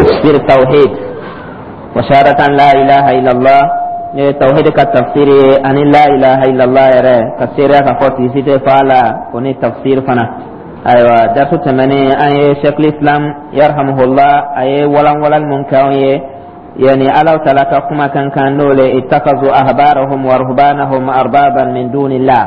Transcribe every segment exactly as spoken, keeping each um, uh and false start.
Tafsir tawhid wa shahadatan la ilaha illallah, ne tawhid ka tafsir ye ani la ilaha illallah yɛrɛ ka seereya ka fɔ tigi si tɛ fa la o ni tafsir fana. Ayiwa, darsu tɛmɛnen, an ye Sheikhul Islam yarhamuhullah, a ye walanwalali mun kɛ anw ye, yani Alaw Taala ka kuma kan kan n'o le ittakazu ahbarahum wa ruhbanahum arbaban min dunillah.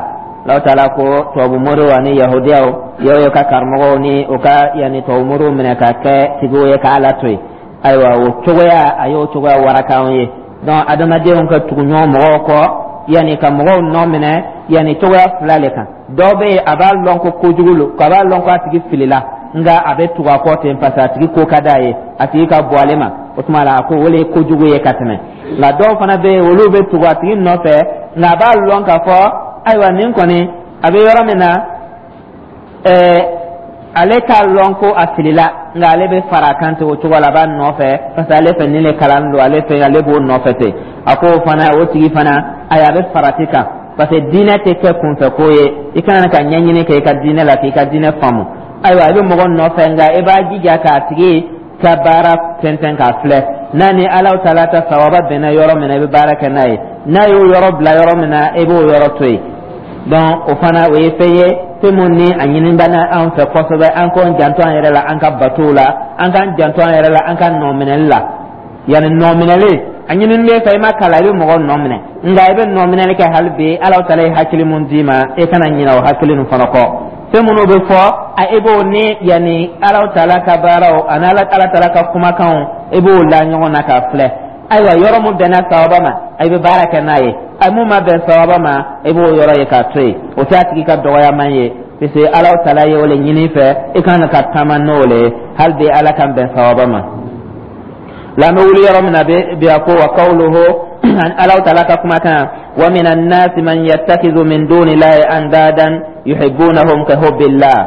Alaw Taala ko tubabu moriw ani yahudiyaw yew ye ka karamɔgɔw ni o ka yani tubabu moriw minɛ ka kɛ tigiw ye ka Ala to yen. Ayiwa, o cogoya, a y'o cogoya waraka anw ye. Donc adamadenw ka tugu ɲɔgɔn mɔgɔw kɔ, yani ka mɔgɔw nɔ minɛ, yani cogoya fila le kan. Dɔw bɛ yen, a b'a lɔn ko kojugu lo, a b'a lɔn ko a tigi filila, nka a bɛ tugu a kɔ ten parce que a tigi ko ka d'a ye, a tigi ka bɔ ale ma. O tuma la, a ko o le ye kojugu ye ka tɛmɛ. Nka dɔw fana bɛ yen, olu bɛ tugu a tigi nɔfɛ, nka a b'a lɔn k'a fɔ ayiwa, nin kɔni a bɛ yɔrɔ min na, ɛɛ ale k'a lɔn ko a filila, nka ale bɛ fara a kan ten o cogo la, a b'a nɔfɛ parce que ale fɛ nin le kalan don ale fɛ, ale b'o nɔfɛ ten. A ko o fana, o tigi fana, ayi, a bɛ farati kan parce que diinɛ tɛ kɛ kunfɛ ko ye. I kana ka ɲɛɲini kɛ i ka diinɛ la k'i ka diinɛ faamu. Ayiwa, i bɛ mɔgɔ nɔfɛ, nka i b'a jija k'a tigi ka baara tɛntɛn k'a filɛ n'a ni Alaw Taala ta sawaba bɛnna yɔrɔ min na, i bɛ baara kɛ n'a ye. N'a y'o yɔrɔ bila yɔrɔ min na, i b'o yɔrɔ to yen. Donc o fana, o ye fɛn ye, fɛn mun ni a ɲini bɛ an fɛ kosɛbɛ, an k'an janto an yɛrɛ la an ka batow la, an k'an janto an yɛrɛ la an ka nɔminɛli la. Yanni nɔminɛli, a ɲini bɛ fɛ i ma kalan, i bɛ mɔgɔ nɔ minɛ, nka i bɛ nɔminɛli kɛ hali bi, Ala Taala ye hakili mun d'i ma, e kana ɲinɛ o hakili nin fana kɔ. Fɛn minnu bɛ fɔ a, i b'o ni yanni Ala Taala ka baaraw ani Ala Taala ka kumakanw, i b'o la ɲɔgɔn na k'a filɛ. Ayiwa, yɔrɔ mun bɛnna sawaba ma, i bɛ baara kɛ n'a ye. A mun ma bɛn sawaba ma, i b'o yɔrɔ ye k'a to yen. O tɛ a tigi ka dɔgɔyaman ye parce que Ala Taala ye o le ɲini fɛ, i kan ka taama n'o le ye. Hali bi, Ala k'an bɛn sawaba ma. La an bɛ wuli yɔrɔ min na bi, a ko wa qawluhu, Ala Taala ka kumakan, wa minan nasi man yattakizu min dunillahi andadan yuhibbunahum ka hubbillah.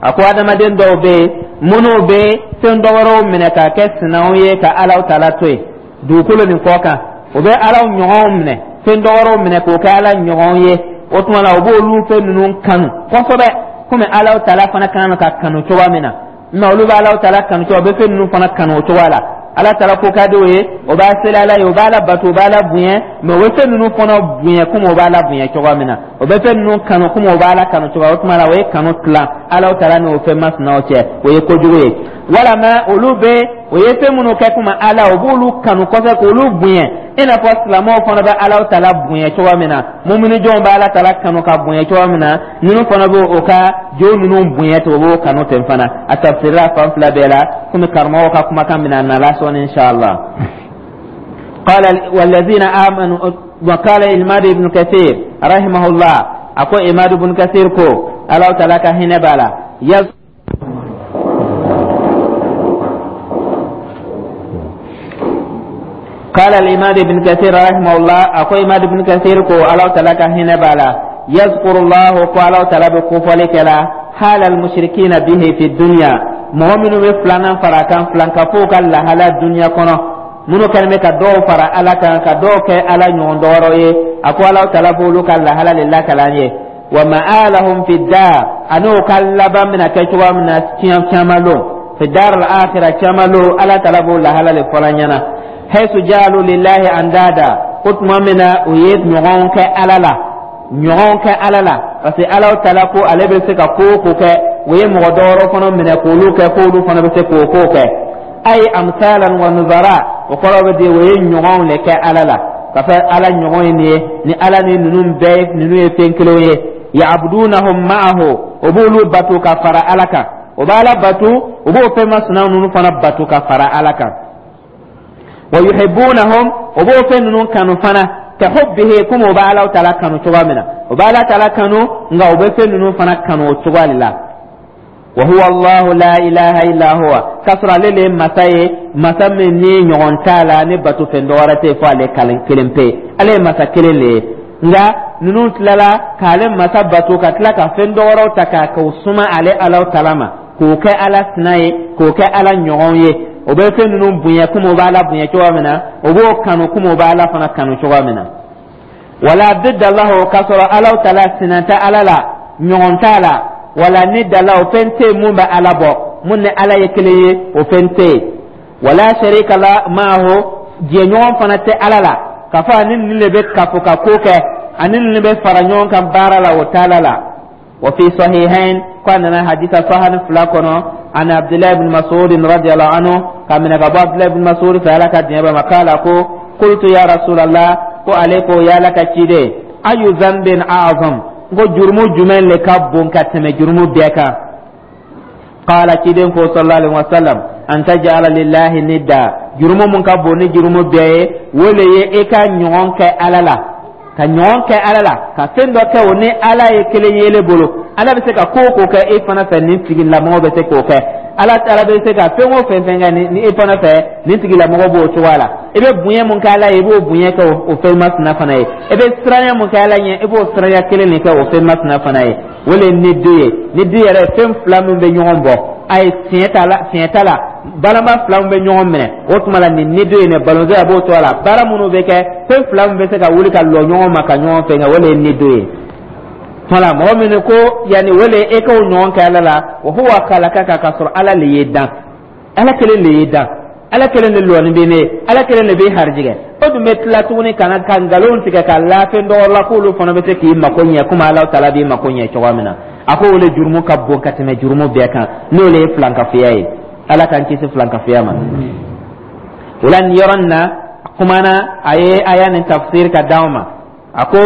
A ko adamaden dɔw bɛ yen minnu bɛ fɛn dɔ wɛrɛw minɛ k'a kɛ sinaw ye ka Ala Taala to yen dugukolo nin kɔ kan. O bɛ Ala ɲɔgɔnw minɛ, fɛn dɔ wɛrɛw minɛ k'o kɛ Ala ɲɔgɔn ye. O tuma la, o b'olu fɛn ninnu kanu kosɛbɛ komi Ala Taala fana kan ka kanu cogoya min na. Mɛ olu bɛ Ala Taala kanu cogo, o bɛ fɛn ninnu fana kanu o cogoya la. Ala Taala ko ka di o ye, o b'a seli Ala ye, o b'a la bato, o b'a la bonya, mɛ o bɛ fɛn ninnu fana bonya komi o b'a la bonya cogoya min na. O bɛ fɛn ninnu kanu komi o b'a la kanu cogoya. O tuma la, o ye kanu tilan Ala Taala n'o fɛn masinaw cɛ, o ye kojugu ye. Walama olu bɛ o ye fɛn minnu kɛ komi Ala, o b'olu kanu kosɛbɛ k'olu bonya, i n'a fɔ silamɛw fana bɛ Ala Taala bonya cogoya min na, mumini jɔnw bɛ Ala Taala kanu ka bonya cogoya min na, ninnu fana bɛ o ka jo ninnu bonya ten, o b'o kanu ten fana. A tafsirila fan fila bɛɛ la, komi karamɔgɔw ka kumakan bɛna na la sɔɔni, inshallah. قال والذين آمنوا، وقال الإمام ابن كثير رحمه الله، أكو إمام ابن كثير كو الله تعالى كهنا بالا يز قال الإمام ابن كثير رحمه الله، أكو إمام ابن كثير كو الله تعالى كهنا بالا يذكر الله كو الله تعالى بكفلك لا حال المشركين به في الدنيا. Mɔgɔ minnu bɛ filanan fara kan, filankafow ka lahala dunuya kɔnɔ, minnu kɛlen bɛ ka dɔw fara Ala kan, ka dɔw kɛ Ala ɲɔgɔn dɔwɛrɛw ye, a ko Ala Taala b'olu ka lahala de lakala an ye. Wa ma'alahum fi dar, ani o ka laban bɛna kɛ cogoya min na caman lon, fi dar al-akhirah caman lon, Ala Taala b'o lahala de fɔla ɲɛna. Haythu ja'alu lillahi andada, ko tuma min na o ye ɲɔgɔn kɛ Ala la, ɲɔgɔn kɛ Ala la, parce que Ala Taala ko ale bɛ se ka ko o ko kɛ, o ye mɔgɔ dɔwɛrɛ fana minɛ k'olu kɛ k'olu fana bɛ se k'o ko kɛ. Ay amsalan wa nuzara, o kɔrɔ bɛ di o ye ɲɔgɔnw le kɛ Ala la, ka fɛ Ala ɲɔgɔn ye nin ye, ni Ala ni ninnu bɛɛ, ninnu ye fɛn kelenw ye. Ya'budunahum ma'ahu, o b'olu bato ka fara Ala kan, o b'Ala bato, o b'o fɛn masina ninnu fana bato ka fara Ala kan. Wa yuhibbunahum, o b'o fɛn ninnu kanu fana, ka hubbihi, komi o b'Ala Taala kanu cogoya min na, o b'Ala Taala kanu, nka o bɛ fɛn ninnu fana kanu o cogoya de la. Wa huwa Allahu la ilaha illa huwa, k'a sɔrɔ ale le ye masa ye, masa min ni ɲɔgɔn t'a la, ni bato fɛn dɔwɛrɛ tɛ yen fo ale kelen pe. Ale ye masa kelen le ye, nka ninnu tilala k'ale masa bato ka tila ka fɛn dɔwɛrɛw ta k'a k'o suma ale Ala Taala ma, k'o kɛ Ala sina ye, k'o kɛ Ala ɲɔgɔn ye. O bɛ fɛn ninnu bonya komi o b'Ala bonya cogoya min na, o b'o kanu komi o b'Ala fana kanu cogoya min na. Wala didda lahu, k'a sɔrɔ Ala Taala sina tɛ Ala la, ɲɔgɔn t'a la. Wala ni dala, o fɛn tɛ yen mun bɛ Ala bɔ, mun ni Ala ye kelen ye, o fɛn tɛ yen. Wala sharika la maahu, jɛɲɔgɔn fana tɛ Ala la k'a fɔ ani nin de bɛ kafo ka ko kɛ, ani nin bɛ fara ɲɔgɔn kan baara la, o t'Ala la. Wa fi sahihain, ko a nana hadisa sahani fila kɔnɔ, an Abdullahi ibn Mas'ud radiyallahu anhu, ka minɛ ka bɔ Abdullahi ibn Mas'ud fɛ, Ala ka diɲɛ b'a ma, k'ala ko: qultu ya Rasulallah, ko ale ko: ya Ala ka ciden, ayu dhanbin a'zam, ko jurumu jumɛn le ka bon ka tɛmɛ jurumu bɛɛ kan? Qala, ciden ko sallallahu alaihi wasallam: an taj'ala lillahi nidda, jurumu mun ka bon ni jurumu bɛɛ ye, o le ye e ka ɲɔgɔn kɛ Ala la, ka ɲɔgɔn kɛ Ala la, ka fɛn dɔ kɛ o ni Ala ye kelen ye ele bolo. Ala bɛ se ka ko o ko kɛ e fana fɛ, nin tigilamɔgɔ bɛ se k'o kɛ. Ala Ala bɛ se ka fɛn o fɛn fɛn kɛ ni e fana fɛ, nin tigilamɔgɔ b'o cogoya la. I bɛ bonya mun kɛ Ala ye, i b'o bonya kɛ o fɛn masina fana ye. I bɛ siranya mun kɛ Ala ɲɛ, i b'o siranya kelen de kɛ o fɛn masina fana ye. O le ye ni du ye. Ni du yɛrɛ, fɛn fila min bɛ ɲɔgɔn bɔ, a ye tiɲɛ t'a la, tiɲɛ t'a la, balama fila min bɛ ɲɔgɔn minɛ, o tuma la nin ni du ye, nin balontan a b'o to a la. Baara minnu bɛ kɛ, fɛn fila min bɛ se ka wuli ka lɔ ɲɔgɔn ma ka ɲɔgɔn fɛ, o le ye ni du ye. Tuma mɔgɔ min ko yanni o le e k'o ɲɔgɔn kɛ Ala la, wa huwa khalaqaka, k'a sɔrɔ Ala le ye dan, Ala kelen le ye dan, Ala kelen de lɔni bɛ ne, Ala kelen de bɛ harijigɛ. O dun bɛ tila tuguni ka na ka nkalon tigɛ ka lafɛn dɔgɔ la k'olu fana bɛ se k'i mako ɲɛ komi Ala taala b'i mako ɲɛ cogoya min na. A ko o le jurumu ka bon ka tɛmɛ jurumu bɛɛ kan, n'o le ye filankafoya ye. Ala k'an kisi filankafoya ma. O la, nin yɔrɔ nin na, kumana a ye aya nin tafsir ka d'anw ma. A ko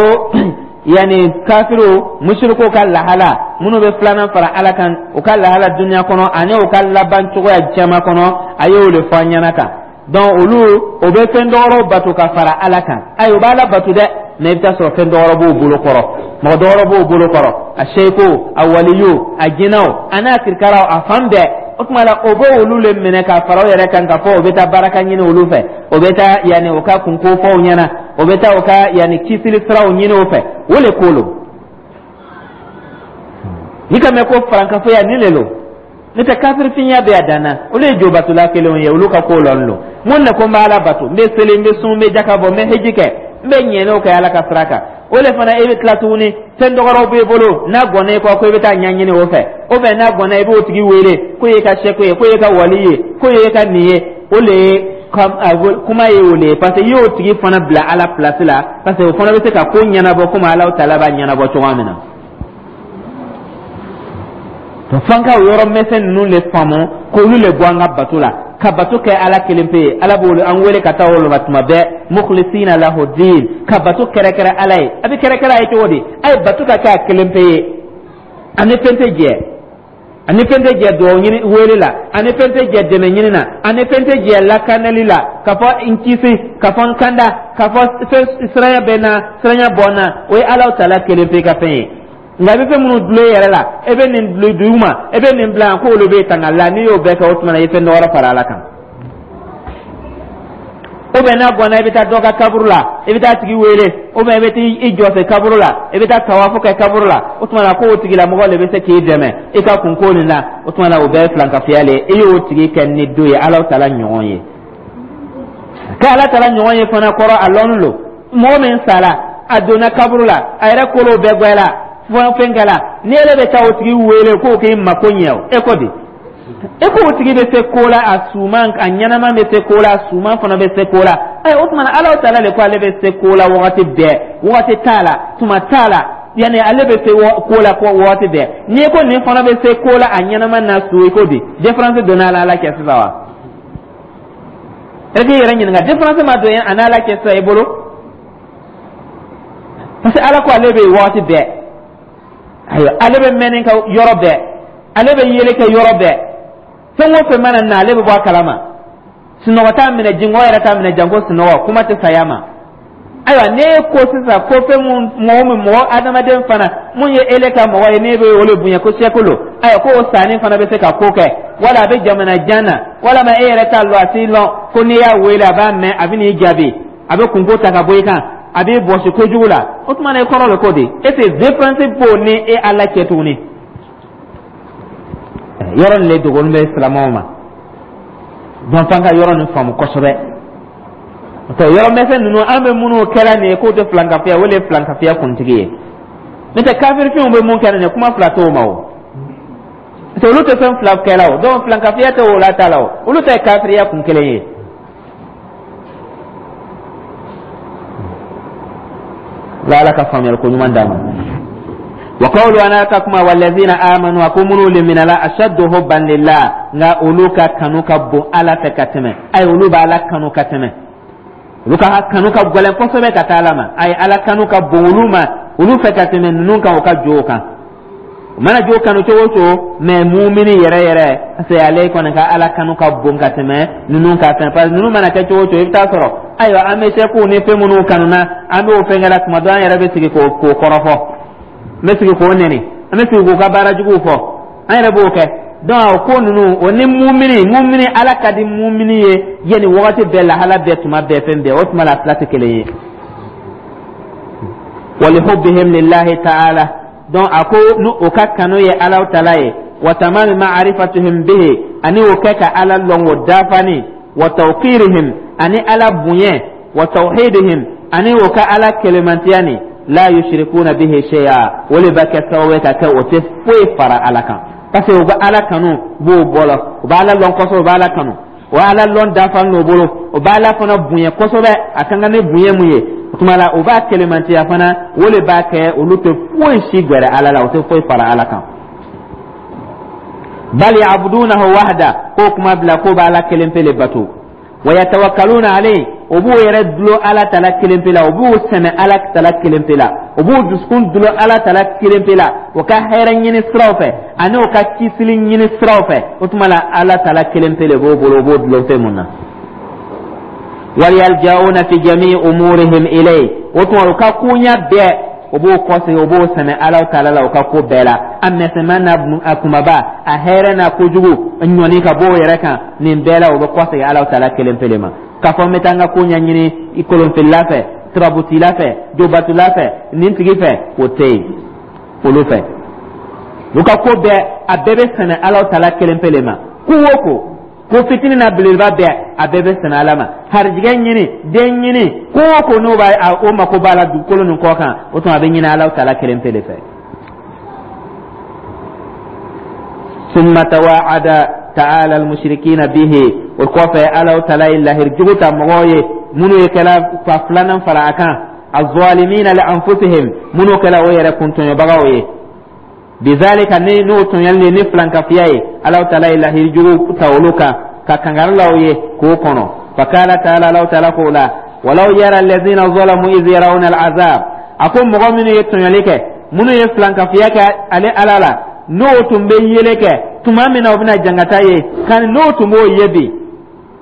yanni kafiriw, musirikuw ka lahala, minnu bɛ filanan fara Ala kan, u ka lahala dunuya kɔnɔ ani u ka laban cogoya jama kɔnɔ, a y'o de fɔ an ɲɛna kan. Donc olu o bɛ fɛn dɔwɛrɛw bato ka fara Ala kan. Ayi, u b'Ala bato dɛ, mais i bɛ taa sɔrɔ fɛn dɔwɛrɛ b'u bolo kɔrɔ, mɔgɔ dɔwɛrɛ b'u bolo kɔrɔ, a seko, a waliyu, a jinɛw, a n'a kirikaraw, a fan bɛɛ. O tuma la, o bɛ olu le minɛ ka fara u yɛrɛ kan, ka fɔ o bɛ taa baraka ɲini olu fɛ, o bɛ taa yanni o ka kunko fɔ u ɲɛna, o bɛ taa o ka yanni kisili siraw ɲini o fɛ. O le ko lo n'i ka mɛn ko farankafoya nin le lo. N'o tɛ, kafirifinya bɛ a dan na. Olu ye jobatula kelenw ye, olu ka ko lɔn lo. Mun de ko n bɛ Ala bato, n bɛ seli, n bɛ sun, n bɛ jaka bɔ, n bɛ heji kɛ, n bɛ ɲɛnɛw kɛ Ala ka sira kan, o le fana e bɛ tila tuguni, fɛn dɔgɔrɔw b'e bolo, n'a gɔnna i kɔ ko i bɛ taa ɲɛɲini o fɛ, o bɛ n'a gɔnna i b'o tigi wele k'o y'e ka sɛko ye, k'o y'e ka wali ye, k'o y'e ka nin ye. O le ye kuma ye, o le ye, parce que i y'o tigi fana bila Ala place la, parce que o fana bɛ se ka ko ɲɛnabɔ komi Ala taala b'a ɲɛnabɔ cogoya min na. To f'an ka o yɔrɔ mɛsɛn ninnu le faamu, k'olu le bɔ an ka bato la, ka bato kɛ Ala kelen pe ye. Ala b'o an wele ka taa o ma tuma bɛɛ: mukhlisina lahu din, ka bato kɛrɛkɛrɛ Ala ye. A bɛ kɛrɛkɛrɛ a ye cogo di? A ye bato ka kɛ a kelen pe ye, ani fɛn tɛ jɛ, ani fɛn tɛ jɛ dugawu ɲini wele la, ani fɛn tɛ jɛ dɛmɛ ɲini na, ani fɛn tɛ jɛ lakanali la, ka fɔ n kisi, ka fɔ n kanda, ka fɔ fɛn siranya bɛ n na, siranya bɔ n na, o ye Ala taala kelen pe ka fɛn ye. Nka i bɛ fɛn minnu dulon i yɛrɛ la, e bɛ nin dulon dugu ma, e bɛ nin bila yan k'olu bɛ tanga la, n'i y'o bɛɛ kɛ, o tuma na i ye fɛn dɔ wɛrɛ fara Ala kan. Ou bien n'a gɔnna, i bɛ taa dɔ ka kaburu la, i bɛ taa tigi wele, ou bien i bɛ taa i jɔ se kaburu la, i bɛ taa tawafu kɛ kaburu la, o tuma na k'o tigilamɔgɔ de bɛ se k'i dɛmɛ i ka kunko nin na, o tuma na o bɛɛ ye filankafoya le ye. I y'o tigi kɛ ni do ye, Ala taala ɲɔgɔn ye. K'Ala taala ɲɔgɔn ye fana kɔrɔ, a lɔnni lo. Mɔgɔ min sara, a donna kaburu la, a yɛrɛ kolow bɛɛ gwɛla, fɛn kɛla, ni ele bɛ taa o tigi wele k'o k'i mako ɲɛ, o e ko di? E ko o tigi bɛ se ko la, a suman, a ɲɛnama bɛ se ko la, a suman fana bɛ se ko la. Ayi, o tuma na Ala taala de ko ale bɛ se ko la wagati bɛɛ, wagati t'a la, tuma t'a la, yanni ale bɛ se ko la ko wagati bɛɛ. N'i ko nin fana bɛ se ko la, a ɲɛnama n'a su, i ko di? Différence donna a la Ala cɛ sisan wa? E k'i yɛrɛ ɲininka, différence ma don a n'Ala cɛ sisan i bolo? Parce que Ala ko ale bɛ yen wagati bɛɛ. Ayiwa, ale bɛ mɛnni kɛ yɔrɔ bɛɛ, ale bɛ yeli kɛ yɔrɔ bɛɛ, fɛn o fɛn mana na, ale bɛ bɔ a kalama. Sunɔgɔ t'a minɛ, jingɔ yɛrɛ t'a minɛ, janko sunɔgɔ, kuma tɛ saya ma. Ayiwa, n'e ko sisan ko fɛn mun, mɔgɔ min, mɔgɔ adamaden fana mun ye ele ka mɔgɔ ye, n'e bɛ o le bonya ko sɛkolo, ayiwa, ko o sanni fana bɛ se ka ko kɛ, wala a bɛ jamana jan na, walama e yɛrɛ t'a lɔn, a t'i lɔn, ko n'i y'a wele a b'a mɛn, a bɛ n'i jaabi, a bɛ kunko ta ka bɔ i kan, a b'i bɔsi kojugu la, o tuma na i kɔrɔ bɛ ko di? E tɛ différence b'o ni e Ala cɛ tuguni. Yɔrɔ nin le dogolen bɛ silamɛw ma. Donc f'an ka yɔrɔ nin faamu kosɛbɛ. O yɔrɔ mɛsɛn ninnu, an bɛ minnu kɛra nin ye k'o tɛ filankafoya, o de ye filankafoya kuntigi ye. N'o tɛ, kafirifinw bɛ mun kɛ nin ye, kuma fila t'o ma. O Parce que olu tɛ fɛn fila kɛla o, donc filankafiya tɛ o la ta la o, olu ta ye kafiriya kun kelen ye. La Ala ka faamuyali ko ɲuman d'an ma. Wa qawlu, ana ka kuma, wallazina amanu, a ko minnu liminala, ashaddu hubban lillah, nka olu ka kanu ka bon Ala fɛ ka tɛmɛ. Ayi, olu b'Ala kanu ka tɛmɛ, olu ka kanu ka gɛlɛn kosɛbɛ ka taa Ala ma. Ayi, Ala kanu ka bon olu ma, olu fɛ ka tɛmɛ ninnu kan, o ka jo kan. O mana jo kanu cogo o cogo, mɛ mumini yɛrɛ yɛrɛ, parce que ale kɔni ka Ala kanu ka bon ka tɛmɛ ninnu ka fɛn, parce que ninnu mana kɛ cogo o cogo, i bɛ taa sɔrɔ, ayiwa, an bɛ sɛkuw ni fɛn minnu kanu na, an b'o fɛn kɛla tuma dɔ, an yɛrɛ bɛ sigi k'o k'o kɔrɔfɔ, an bɛ sigi k'o nɛni, an bɛ sigi k'u ka baara juguw fɔ, an yɛrɛ b'o kɛ. Donc o ko ninnu, o ni mumini mumini Ala ka di mumini ye yanni wagati bɛɛ, lahala bɛɛ, tuma bɛɛ, fɛn bɛɛ, o tuma la fila tɛ kelen ye. Walihubbihim lillahi ta'ala, donc a ko ni o ka kanu ye Alaw tala ye, wa tamami ma'rifatuhum bihi, ani o kɛ ka Ala lɔn o dafani, wa tawqirihim, ani Ala bonya, wa tawhidihim, ani o ka Ala kelemantiya ni la yushrikuna bihi shay'a, o le bɛ kɛ sababu ye ka kɛ o tɛ foyi fara Ala kan, parce que u bɛ Ala kanu b'o bɔlɔ, u bɛ Ala lɔn kosɛbɛ, u bɛ Ala kanu, o Ala lɔn dafalen n'o bolo, o bɛ Ala fana bonya kosɛbɛ, a ka kan ni bonya mun ye. O tuma la, o b'a kelemantiya fana, o de b'a kɛ olu tɛ foyi si gɛrɛ Ala la, o tɛ foyi fara Ala kan. Bal ya'budunahu wahda, k'o kuma bila k'o b'Ala kelen pe le bato. Wa yatawakkaluna alayhi, o b'u yɛrɛ dulo Ala tala kelen pe la, o b'u sɛmɛ Ala tala kelen pe la, o b'u dusukun dulo Ala tala kelen pe la, o ka hɛrɛ ɲini siraw fɛ ani o ka kisili ɲini siraw fɛ. O tuma la, Ala tala kelen pe le b'o bolo, o b'o dulon fɛn mun na. Waliyaljauna fi jami'i umurihim ilayhi, o tuma u ka koɲa bɛɛ, o b'o kɔsegin, o b'o sɛmɛ Ala taala la, o ka ko bɛɛ la, a misɛnman n'a kumaba, a hɛrɛ n'a kojugu, ɲɔni ka bɔ o yɛrɛ kan, nin bɛɛ la o bɛ kɔsegin Ala taala kelen pele ma. K'a fɔ n bɛ taa n ka ko ɲɛɲini i kolonfilila fɛ, turabutila fɛ, jobatula fɛ, nin tigi fɛ, o tɛ yen olu fɛ. U ka ko bɛɛ, a bɛɛ bɛ sɛmɛ Ala taala kelen pele ma. Ko o ko, ko fitinin na belebeleba bɛɛ, a bɛɛ bɛ sɛmɛ Ala ma. Harijigɛ ɲini, den ɲini, ko o ko n'o b'a o mako b'a la dugukolo nin kɔ kan, o tuma a bɛ ɲini Ala taala kelen pele fɛ. Summa tawa'ada ta'ala al-mushrikina bihi, o kɔfɛ Ala taala ye lahiri jugu ta mɔgɔw ye minnu ye kɛla ka filanan fara a kan, az-zalimina li anfusihim, minnu kɛla o yɛrɛ kuntɔɲɔbagaw ye, bizalika, ni n'o tɔɲɔli ni filankafiya ye, Ala taala ye lahiri jugu ta olu kan ka kangari la u ye k'o kɔnɔ. Fakala taala, Ala taala k'o la, walaw yara allazina zalamu iz yarawna al'azab, a ko mɔgɔ minnu ye tɔɲɔli kɛ, minnu ye filankafiya kɛ ale Ala la, n'o tun bɛ yeli kɛ tuma min na o bɛna jangata ye kan, n'o tun b'o ye bi,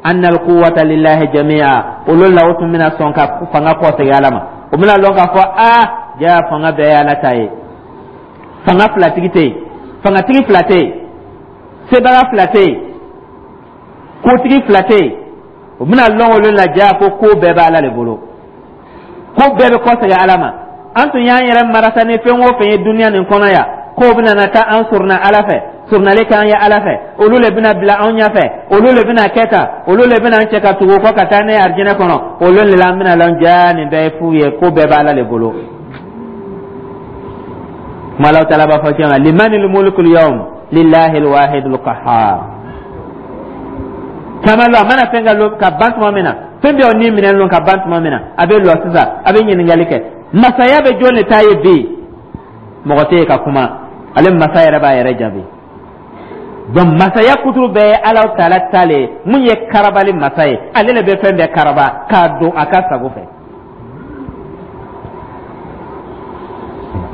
anna alquwwata lillahi jami'a, olu la o tun bɛna sɔn ka fanga kɔsegin Ala ma. O bɛna lɔn k'a fɔ aa, jaa fanga bɛɛ ye Ala ta ye, fanga filatigi tɛ yen, fangatigi fila tɛ yen, sebaga fila tɛ yen, kotigi fila tɛ yen. O bɛna lɔn olu la jaa ko ko bɛɛ bɛ Ala de bolo, ko bɛɛ bɛ kɔsegin Ala ma. An tun y'an yɛrɛ marasa ni fɛn o fɛn ye duniya nin kɔnɔ yan, k'o bɛna na taa an suruna Ala fɛ, surunali k'an ye Ala fɛ, olu le bɛna bila anw ɲɛfɛ, olu le bɛna kɛ tan, olu le bɛna an cɛ ka tugu kɔ ka taa ne arijinɛ kɔnɔ, olu le la an bɛna lɔn jaa nin bɛɛ ye fu ye, ko bɛɛ bɛ Ala de bolo. Kuma Alahu taala b'a fɔ cɛ ma, limanil mulkul yawm lillahi alwahidul qahhar. Caman lɔ a mana fɛn ka lo ka ban tuma min na, fɛn bɛɛ o ni minɛ lɔ ka ban tuma min na, a bɛ lɔ sisan, a bɛ ɲininkali kɛ, masaya bɛ jɔn de ta ye bi? Mɔgɔ tɛ yen ka kuma, ale masa yɛrɛ b'a yɛrɛ jaabi. Donc masaya kuturu bɛɛ ye Alahu taala ta le ye, mun ye karabali masa ye, ale le bɛ fɛn bɛɛ karaba k'a don a ka sago fɛ.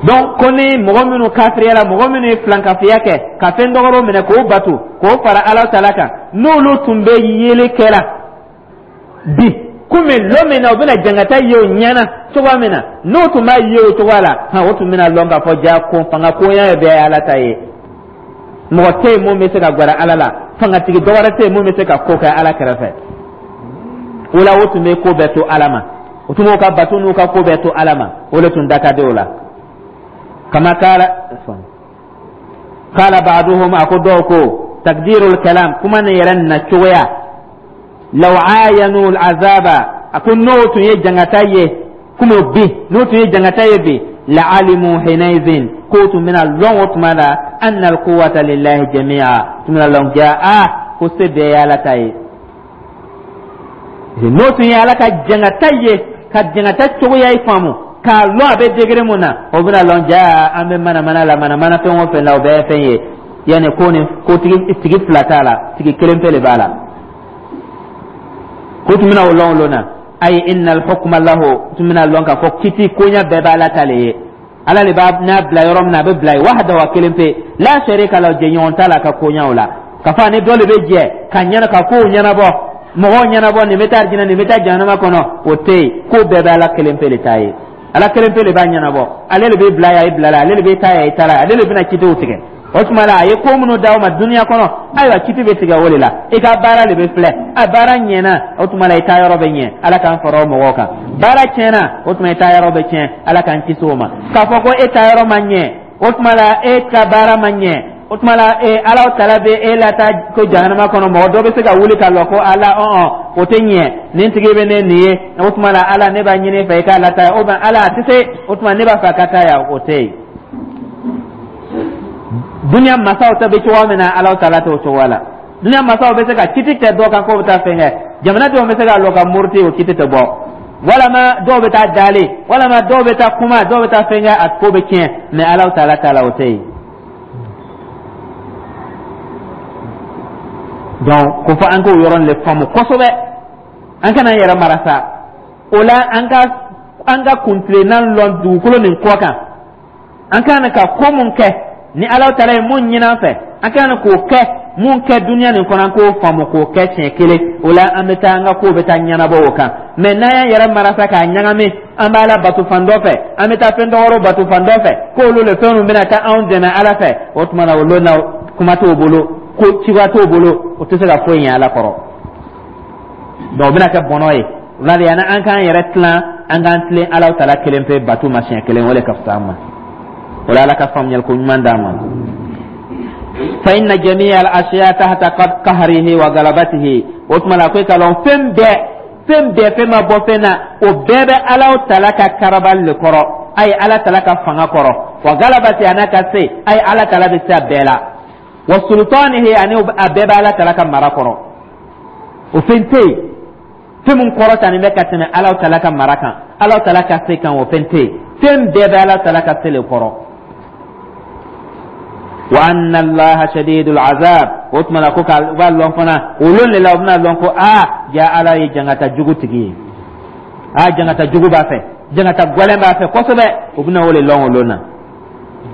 Donc ko ni mɔgɔ minnu kafiriyala, mɔgɔ minnu ye filankafiya kɛ ka fɛn dɔgɔrɔ minɛ k'o bato k'o fara Alahu taala kan, n'olu tun bɛ yeli kɛla bi komi lon min na u bɛna jangata ye o ɲɛna cogoya min na, n'o tun b'a ye o cogoya la, hɔn, o tun bɛna lɔn k'a fɔ ja ko fanga koya ye bɛɛ ye Ala ta ye, mɔgɔ tɛ yen mun bɛ se ka gwɛrɛ Ala la, fangatigi dɔ wɛrɛ tɛ yen mun bɛ se ka ko kɛ Ala kɛrɛfɛ. O la o tun bɛ ko bɛɛ to Ala ma, o tun b'o ka bato n'u ka ko bɛɛ to Ala ma, o de tun da ka di o la. Kama kala kala ba'duhum, a ko dɔw ko takdirul kalam, kuma nin yɛrɛ na cogoya, law ayanu al'azaba, a ko n'o tun ye jangata ye komi bi, n'o tun ye jangata ye bi, la'alimu hinaizin, k'o tun bɛna lɔn o tuma la. Anna alquwwata lillahi jami'a, tun bɛna lɔn ja a ko se bɛɛ ye Ala ta ye. N'o tun ye Ala ka jangata ye, ka jangata cogoya ye faamu k'a lɔn a bɛ degré mun na, o bɛna lɔn ja an bɛ manamana la, manamana fɛn o fɛn la, o bɛɛ ye fɛn ye. Yanni ko ni ko tigi tigi fila t'a la, tigi kelen pe de b'a la. Ko tun bɛna o lɔn o lon na. Ayi, innal hukma lahu, tun bɛna lɔn k'a fɔ kiti koɲa bɛɛ b'Ala ta le ye. Ala de b'a n'a bila yɔrɔ min na, a bɛ bila yen, wahdahu, a kelen pe, la sharika lahu, jɛɲɔgɔn t'a la a ka koɲaw la. Ka fɔ ani dɔ de bɛ jɛ ka ɲɛna ka kow ɲɛnabɔ, mɔgɔw ɲɛnabɔ, nin bɛ taa arijinɛ, nin bɛ taa jahanama kɔnɔ, o tɛ yen. Ko bɛɛ bɛ Ala kelen pe de ta ye. Ala kelen pe de b'a ɲɛnabɔ. Ale de bɛ bila yan, i bila la. Ale de bɛ taa yan, i taara. Ale de bɛna kitiw tigɛ. O tuma la, a ye ko minnu d'aw ma duniya kɔnɔ, ayiwa, kiti bɛ tigɛ o de la. I ka baara de bɛ filɛ. A baara ɲɛna, o tuma la i taa yɔrɔ bɛ ɲɛ, Ala k'an fara o mɔgɔw kan. Baara tiɲɛna, o tuma i taa yɔrɔ bɛ tiɲɛ, Ala k'an kisi o ma. K'a fɔ ko e taa yɔrɔ ma ɲɛ, o tuma la e ka baara ma ɲɛ, o tuma la e Ala tala bɛ e lataa ko jahanama kɔnɔ, mɔgɔ dɔ bɛ se ka wuli ka lɔ ko Ala, ɔn o tɛ ɲɛ, nin tigi bɛ ne nin ye, o tuma la Ala, ne b'a ɲini fɛ i k'a lataa, o Ala a tɛ se, o tuma ne b'a fɛ a ka taa yan, o tɛ yen. Dunuya masaw ta bɛ cogoya min na, Ala tala t'o cogoya la. Dunuya masaw bɛ se ka kiti kɛ dɔ kan k'o bɛ taa fɛn kɛ, jamanadenw bɛ se ka lɔ ka muruti, o kiti tɛ bɔ, walama dɔw bɛ taa dalen, walama dɔw bɛ taa kuma, dɔw bɛ taa fɛn kɛ, a ko bɛ tiɲɛ. Mɛ Ala tala t'a la, o tɛ yen. Donc ko fɔ an k'o yɔrɔ de faamu kosɛbɛ, an kana an yɛrɛ mara sa. O la, an ka an ka kuntilenna lɔn dugukolo nin kɔ kan, an kan ka ko mun kɛ ni Ala taala ye mun ɲini an fɛ, an kan k'o kɛ, mun kɛ duniya nin kɔnɔ, an k'o faamu k'o kɛ siɲɛ kelen. O la, an bɛ taa, an ka kow bɛ taa ɲɛnabɔ o kan. Mɛ n'an y'an yɛrɛ mara sa k'a ɲagami, an b'a la bato fan dɔ fɛ, an bɛ taa fɛn dɔ wɛrɛw bato fan dɔ fɛ, k'olu le fɛn ninnu bɛna taa anw dɛmɛ Ala fɛ, o tuma na o lon na, kuma t'o bolo, ko cogoya t'o bolo, o tɛ se ka foyi ɲɛ Ala kɔrɔ. Donc o bɛna kɛ bɔnɔ ye. O la de, yanni an k'an yɛrɛ tilan, an k'an tilen Ala tala kelen pe bato ma siɲɛ kelen, o de ka fisa an ma. O la, Ala ka faamuyali ko ɲuman d'an ma. Fa inna jami'a al-ashiya tahta qahrihi wa galabatihi, o tuma la ko i ka lɔn fɛn bɛɛ, fɛn bɛɛ, fɛn ma bɔ fɛn na, o bɛɛ bɛ Ala tala ka karabali le kɔrɔ, a ye Ala tala ka fanga kɔrɔ, wa galabati, a n'a ka se, a ye Ala tala bɛ se a bɛɛ la, wa sultanihi, ani a bɛɛ bɛ Ala tala ka mara kɔrɔ. O fɛn tɛ yen, fɛn min kɔrɔtanen bɛ ka tɛmɛ Ala tala ka mara kan, Ala tala ka se kan, o fɛn tɛ yen. Fɛn bɛɛ bɛ Ala tala ka se le kɔrɔ. Wa anna Allaha shadidul azab, o tuma na ko ka b'a lɔn fana, o lon de la o bɛna lɔn ko aa ja Ala ye jangata jugu tigi ye, aa jangata jugu b'a fɛ, jangata gwɛlɛn b'a fɛ kosɛbɛ. O bɛna o le lɔn o lon na.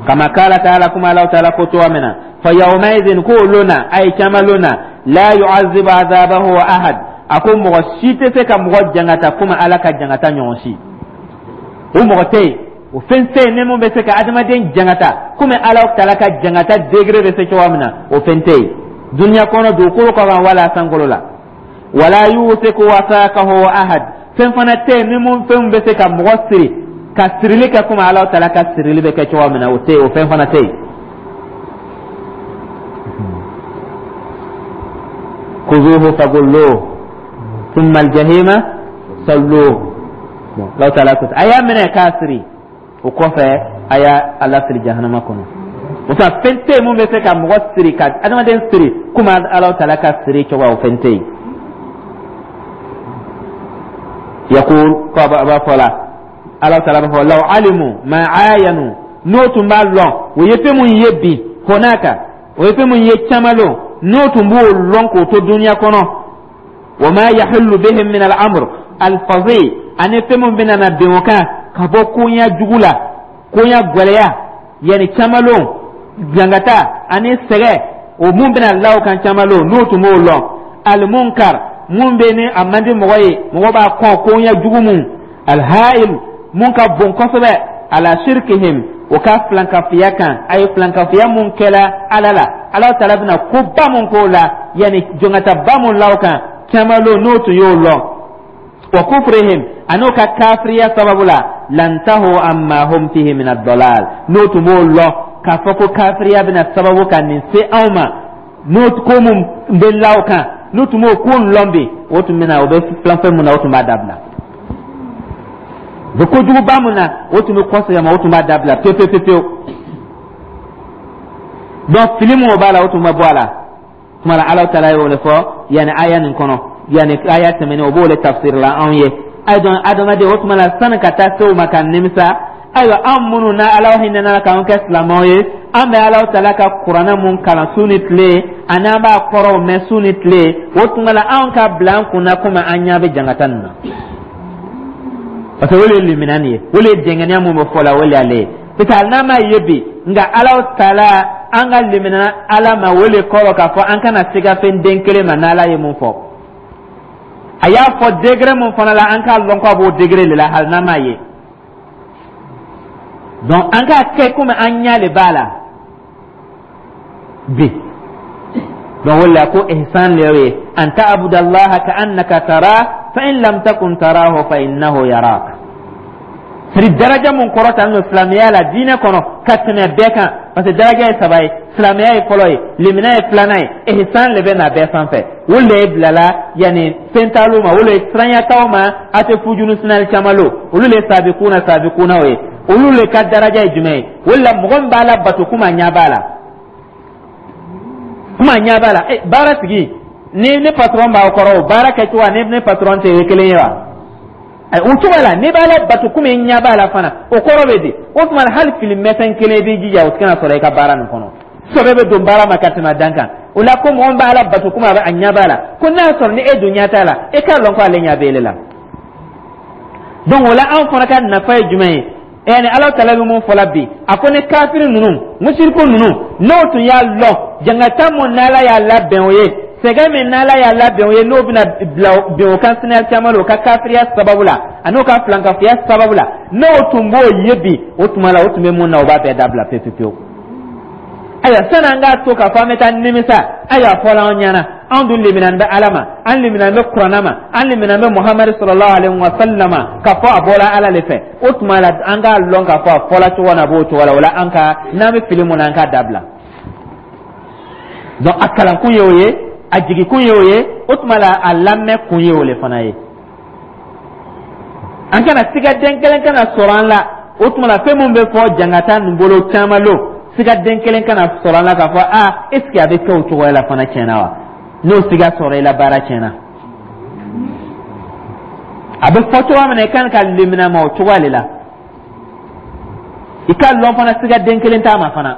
Kama kala taala, kuma Ala taala ko cogoya min na, fa yawmaidin, ko o lon na, a ye caman lon na, la yu'azzibu azabahu ahad, a ko mɔgɔ si tɛ se ka mɔgɔ jangata komi Ala ka jangata ɲɔgɔn si. O mɔgɔ tɛ yen, o fɛn tɛ yen ni mun bɛ se ka adamaden jangata komi Ala tala ka jangata degré bɛ se cogoya min na, o fɛn tɛ yen duniya kɔnɔ, dugukolo kɔ kan wala sankolo la. Wala yusiku wasaqahu ahad, fɛn fana tɛ yen ni mun fɛn bɛ se ka mɔgɔ siri ka sirili kɛ komi Ala tala ka sirili bɛ kɛ cogoya min na, o tɛ yen, o fɛn fana tɛ yen. Kuzuhu fagulluhu thumma aljahima salluhu. Ala taala ko a y'a minɛ k'a siri, o kɔfɛ a y'a a lafili jahanama kɔnɔ. O tuma, fɛn tɛ yen mun bɛ se ka mɔgɔ siri, ka adamaden siri komi Ala taala ka siri cogoya, o fɛn tɛ yen. Yakul, ko a b'a fɔ la, Ala taala b'a fɔ law alimu ma ayanu, n'o tun b'a lɔn o ye fɛn mun ye bi honaka, o ye fɛn mun ye caman lon, n'o tun b'o lɔn k'o to duniya kɔnɔ, wa ma yahullu bihim min al-amr al-fazi, ani fɛn mun bɛna na bin o kan ka bɔ koɲa jugu la, koɲa gwɛlɛya, yanni caman lon jangata ani sɛgɛ, o mun bɛna la o kan caman lon, n'o tun b'o lɔn, almunkar, mun bɛ ni a man di mɔgɔ ye, mɔgɔ b'a kɔn, koɲa jugu mun, alhail, mun ka bon kosɛbɛ, ala shirkihim, o ka filankafiya kan, a ye filankafiya mun kɛla Ala la, Ala taala bɛna koba mun k'o la, yanni jɔnkataba mun la o kan caman lon, n'o tun y'o lɔn, wa kufrihim, an'o ka kafiriya sababu la, lantahu amma hum fihi min ad-dalal, n'o tun b'o lɔn k'a fɔ ko kafiriya bɛna sababu ka nin se anw ma, n'o ko mun bɛ la o kan, n'o tun b'o ko lɔn bi, o tun bɛna o bɛ filan fɛn mun na, o tun b'a dabila. U bɛ kojuguba mun na, o tun bɛ kɔsegin a ma, o tun b'a dabila pewu pewu pewu. Donc fili mun b'a la, o tun bɛ bɔ a la. Tuma la, Ala taala y'o de fɔ yanni aya nin kɔnɔ, yanni aya tɛmɛnen, o b'o de tafsir la anw ye. Ayi, donc adamaden, o tuma la, sani ka taa se o ma ka nimisa, ayiwa, an minnu na Ala hinɛna k'an kɛ silamɛw ye, an bɛ Ala taala ka kuranɛ mun kalan su ni tile, ani an b'a kɔrɔw mɛn su ni tile, o tuma la, anw ka bila an kunna komi an ɲɛ bɛ jangata nin na, parce que o de ye limina nin ye, o de ye dɛngɛniya mun bɛ fɔ la, o de y'ale ye. Parce que hali n'an m'a ye bi, nka Ala taala, an ka limina Ala ma, o de kɔrɔ k'a fɔ an kana siga fɛn den kelen ma. N'Ala ye mun fɔ, a y'a fɔ degré mun fana la, an k'a lɔn k'a b'o degré de la, hali n'an m'a ye. Donc an k'a kɛ komi an ɲɛ de b'a la bi. Donc o de la ko ihsan le ye an ta'budallaha ka'annaka tara, fa in lam takun tarahu fa innahu yarak. C'est daraja mun kɔrɔtalen don silamɛya la diinɛ kɔnɔ ka tɛmɛ bɛɛ kan, parce que daraja ye saba ye: silamɛya ye fɔlɔ ye, limina ye filanan ye, ihsan le bɛ na bɛɛ sanfɛ. O le ye bilala yanni fɛn ma, o le ye siranyataw ma, a tɛ fujunu sinali caman lo, olu le ye sabikuna sabikunaw ye. Olu le ka daraja ye jumɛn ye? O de la, mɔgɔ min b'a la bato kuma ɲɛ b'a la, kuma ɲɛ b'a la. E baara tigi ni ne patron b'aw kɔrɔ, o baara kɛcogo ni ne patron tɛ ye kelen ye wa? O cogo la, n'i b'a la bato komi i ɲɛ b'a la fana, o kɔrɔ bɛ di? O tuma, hali fili mɛsɛn kelen, i b'i jija o kana sɔrɔ i ka baara nin kɔnɔ. Sɛbɛ bɛ don baara ma ka tɛmɛ dan kan. O la ko mɔgɔ min b'a la bato komi a bɛ a ɲɛ b'a la, ko n'a sɔrɔ ni e dun ɲɛ t'a la, e k'a lɔn ko ale ɲɛ bɛ e la. Donc o la, anw fana ka nafa ye jumɛn ye? Yani Ala taala bɛ mun fɔla bi? A ko ni kafiri ninnu, musiriku ninnu, n'o tun y'a lɔn jangata mun n'Ala y'a labɛn o ye, sɛgɛn min n'Ala y'a labɛn o ye, n'o bɛna bila bin o kan sinaya caman la, o ka kafiriya sababu la ani o ka filankafoya sababu la, n'o tun b'o ye bi, o tuma la, o tun bɛ mun na, o b'a bɛɛ dabila pewu pewu. Ayiwa, sani an k'a to k'a fɔ an bɛ taa nimisa, ayiwa, a fɔla an ɲɛna, anw dun limina bɛ Ala ma, an limina bɛ kuranɛ ma, an limina bɛ Muhamadu sallallahu alaihi wa sallam, k'a fɔ a bɔra Ala de fɛ. O tuma la, an k'a lɔn k'a fɔ a fɔla cogo min na, a b'o cogo la. O la, an ka n'an bɛ fili mun na, an k'a dabila. Donc a kalankun ye o ye, a jigikun ye o ye, o tuma la, a lamɛn kun ye o le fana ye. An kana siga den kelen kana sɔrɔ an la. O tuma la, fɛn mun bɛ fɔ jangata nin bolo caman lo, siga den kelen kana sɔrɔ an la k'a fɔ aa, est ce que a bɛ kɛ o cogoya la fana tiɲɛna wa? N'o siga sɔrɔ i la, baara tiɲɛna. A bɛ fɔ cogoya min na, i kan ka limina ma o cogoya de la. I ka lɔn fana, siga den kelen t'a ma fana,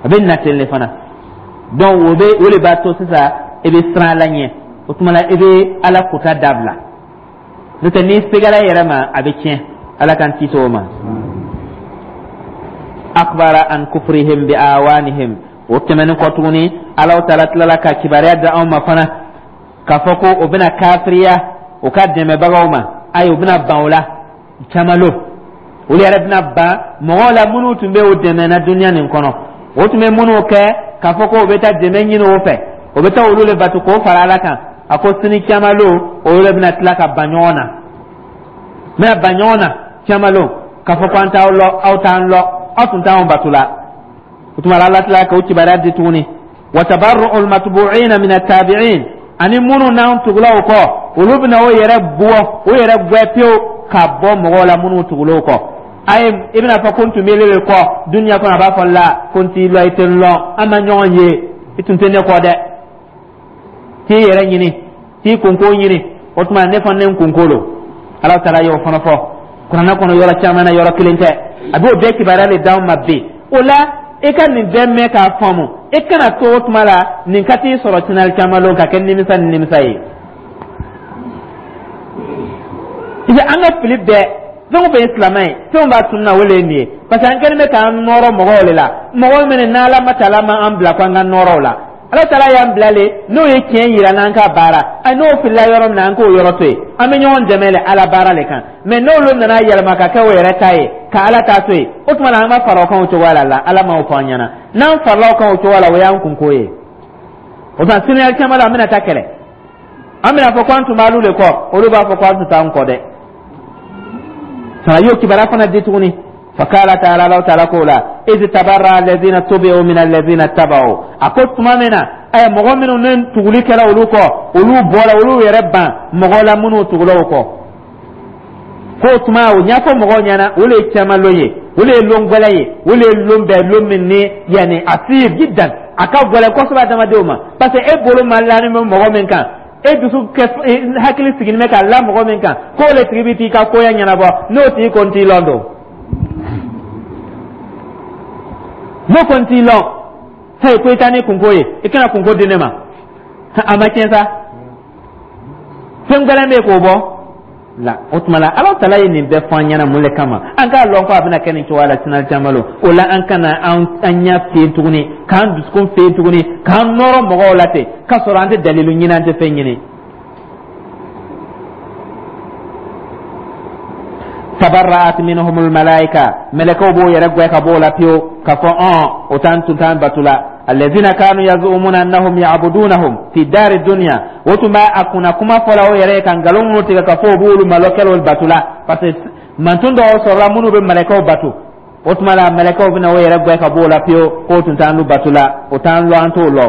a bɛ na ten de fana. Donc o bɛ o de b'a to sisan i bɛ siran Ala ɲɛ. O tuma la, i bɛ Ala kota dabila. N'o tɛ, n'i sigara i yɛrɛ ma, a bɛ tiɲɛ. Ala k'an kisi o ma. Akbara an kufrihim bi awanihim. O tɛmɛnen kɔ tuguni, Ala taala tilala ka kibaruya di anw ma fana k'a fɔ ko o bɛna kafiriya o ka dɛmɛbagaw ma. Ayi, o bɛna ban o la caman lo, olu yɛrɛ bɛna ban mɔgɔw la minnu tun bɛ o dɛmɛ na duniya nin kɔnɔ. O tun bɛ minnu kɛ k'a fɔ ko o bɛ taa dɛmɛ ɲini o fɛ, o bɛ taa olu le bato k'o fara Ala kan. A ko sini caman lo, olu de bɛna tila ka ban ɲɔgɔn na, bɛna ban ɲɔgɔn na caman lo, k'a fɔ ko an t'aw lɔ, aw t'an lɔ, aw tun t'anw bato la. O tuma la, Ala tila k'o kibaruya di tuguni. Wa tabarru'ul matbu'ina min at-tabi'in, ani minnu n'an tugula o kɔ, olu bɛna o yɛrɛ bɔ, o yɛrɛ gwɛ pewu ka bɔ mɔgɔw la minnu tugula o kɔ. Ayi, i bɛna fɔ ko n tun bɛ ele de kɔ duniya kɔnɔ, a b'a fɔ la ko n t'i lɔ, i tɛ n lɔn, an ma ɲɔgɔn ye, i tun tɛ ne kɔ dɛ. T'i yɛrɛ ɲini, t'i kunko ɲini, o tuma ne fana ne kunko don. Ala taala y'o fana fɔ kuranɛ kɔnɔ yɔrɔ caman na, yɔrɔ kelen tɛ. A b'o bɛɛ kibaruya de d'anw ma bi. O la, i ka nin bɛɛ mɛn k'a faamu, i kana to o tuma la nin ka t'i sɔrɔ sinali caman lon ka kɛ nimisa ni nimisa ye. An ka fili bɛɛ, fɛn o fɛn ye silamɛ ye, fɛn b'a tununa, o de ye nin ye, parce que an kɛlen bɛ k'an nɔrɔ mɔgɔw de la, mɔgɔ minnu n'Ala ma taala ma an bila ko an ka nɔrɔ o la. Ala taala y'an bila le, n'o ye tiɲɛ yira n'an ka baara, a n'o filila yɔrɔ min na, an k'o yɔrɔ to yen. An bɛ ɲɔgɔn dɛmɛ le Ala baara le kan. Mɛ n'olu nana yɛlɛma ka kɛ o yɛrɛ ta ye, ka Ala ta to yen, o tuma na, an ka fara o kan o cogoya la la Ala m'o fɔ an ɲɛna. N'an farala o kan o cogoya la, o y'an kunko ye. O tuma, sini caman la, an bɛna taa kɛlɛ, an bɛna fɔ ko an tun b'alu de kɔ, olu b'a fɔ ko an tun t'an kɔ dɛ. Fana y'o kibaruya fana di tuguni. Fakala taala, Ala taala ko la iz tabarra alladhina tubi'u min alladhina taba'u. A ko tuma min na ɛ mɔgɔ minnu ni tuguli kɛra olu kɔ, olu bɔra, olu yɛrɛ ban mɔgɔ la minnu tugula o kɔ, k'o tuma o ɲɛfɔ mɔgɔw ɲɛna, o de ye caman lon ye. O le ye lon gwɛlɛ ye, o le ye lon bɛɛ lon min ni yani asir jiddan, a ka gwɛlɛ kosɛbɛ adamadenw ma, parce que e bolo ma lani bɛ mɔgɔ min kan, e dusu kɛ hakili sigilen bɛ ka la mɔgɔ min kan, k'o le tigi bɛ t'i ka koya ɲɛnabɔ, n'o tigi ko n t'i lɔn don, n'o ko n t'i lɔn, hey, ko i taa ni kunko ye, i kana kunko di ne ma, a ma tiɲɛ sa, fɛn gɛlɛn bɛ yen k'o bɔ la. O tuma la, Ala tala ye nin bɛɛ fɔ an ɲɛna mun le kama? An k'a lɔn ko a bɛna kɛ nin cogoya la sinali caman lo. O la, an kana an ɲɛ fiyen tuguni, k'an dusukun fiyen tuguni, k'an nɔrɔ mɔgɔw la ten, k'a sɔrɔ an tɛ dalilu ɲini, an tɛ fɛn ɲini. Tabarra'at minhumul malaika, mɛlɛkɛw b'o yɛrɛ gwɛ ka b'o la pewu, k'a fɔ ɔn o t'an tun t'an batu la. Alladhina kanu yaz'umuna annahum ya'budunahum fi dari dunya, o tun b'a a kunna kuma fɔla o yɛrɛ ye ka nkalon minnu tigɛ k'a fɔ o b'olu malokɛlaw batu la, parce que mantun dɔw sɔrɔla minnu bɛ mɛlɛkɛw batu. O tuma la, mɛlɛkɛw bɛna o yɛrɛ gwɛ ka b'o la pewu k'o tun t'an batu la, o t'an lɔ, an t'o lɔ.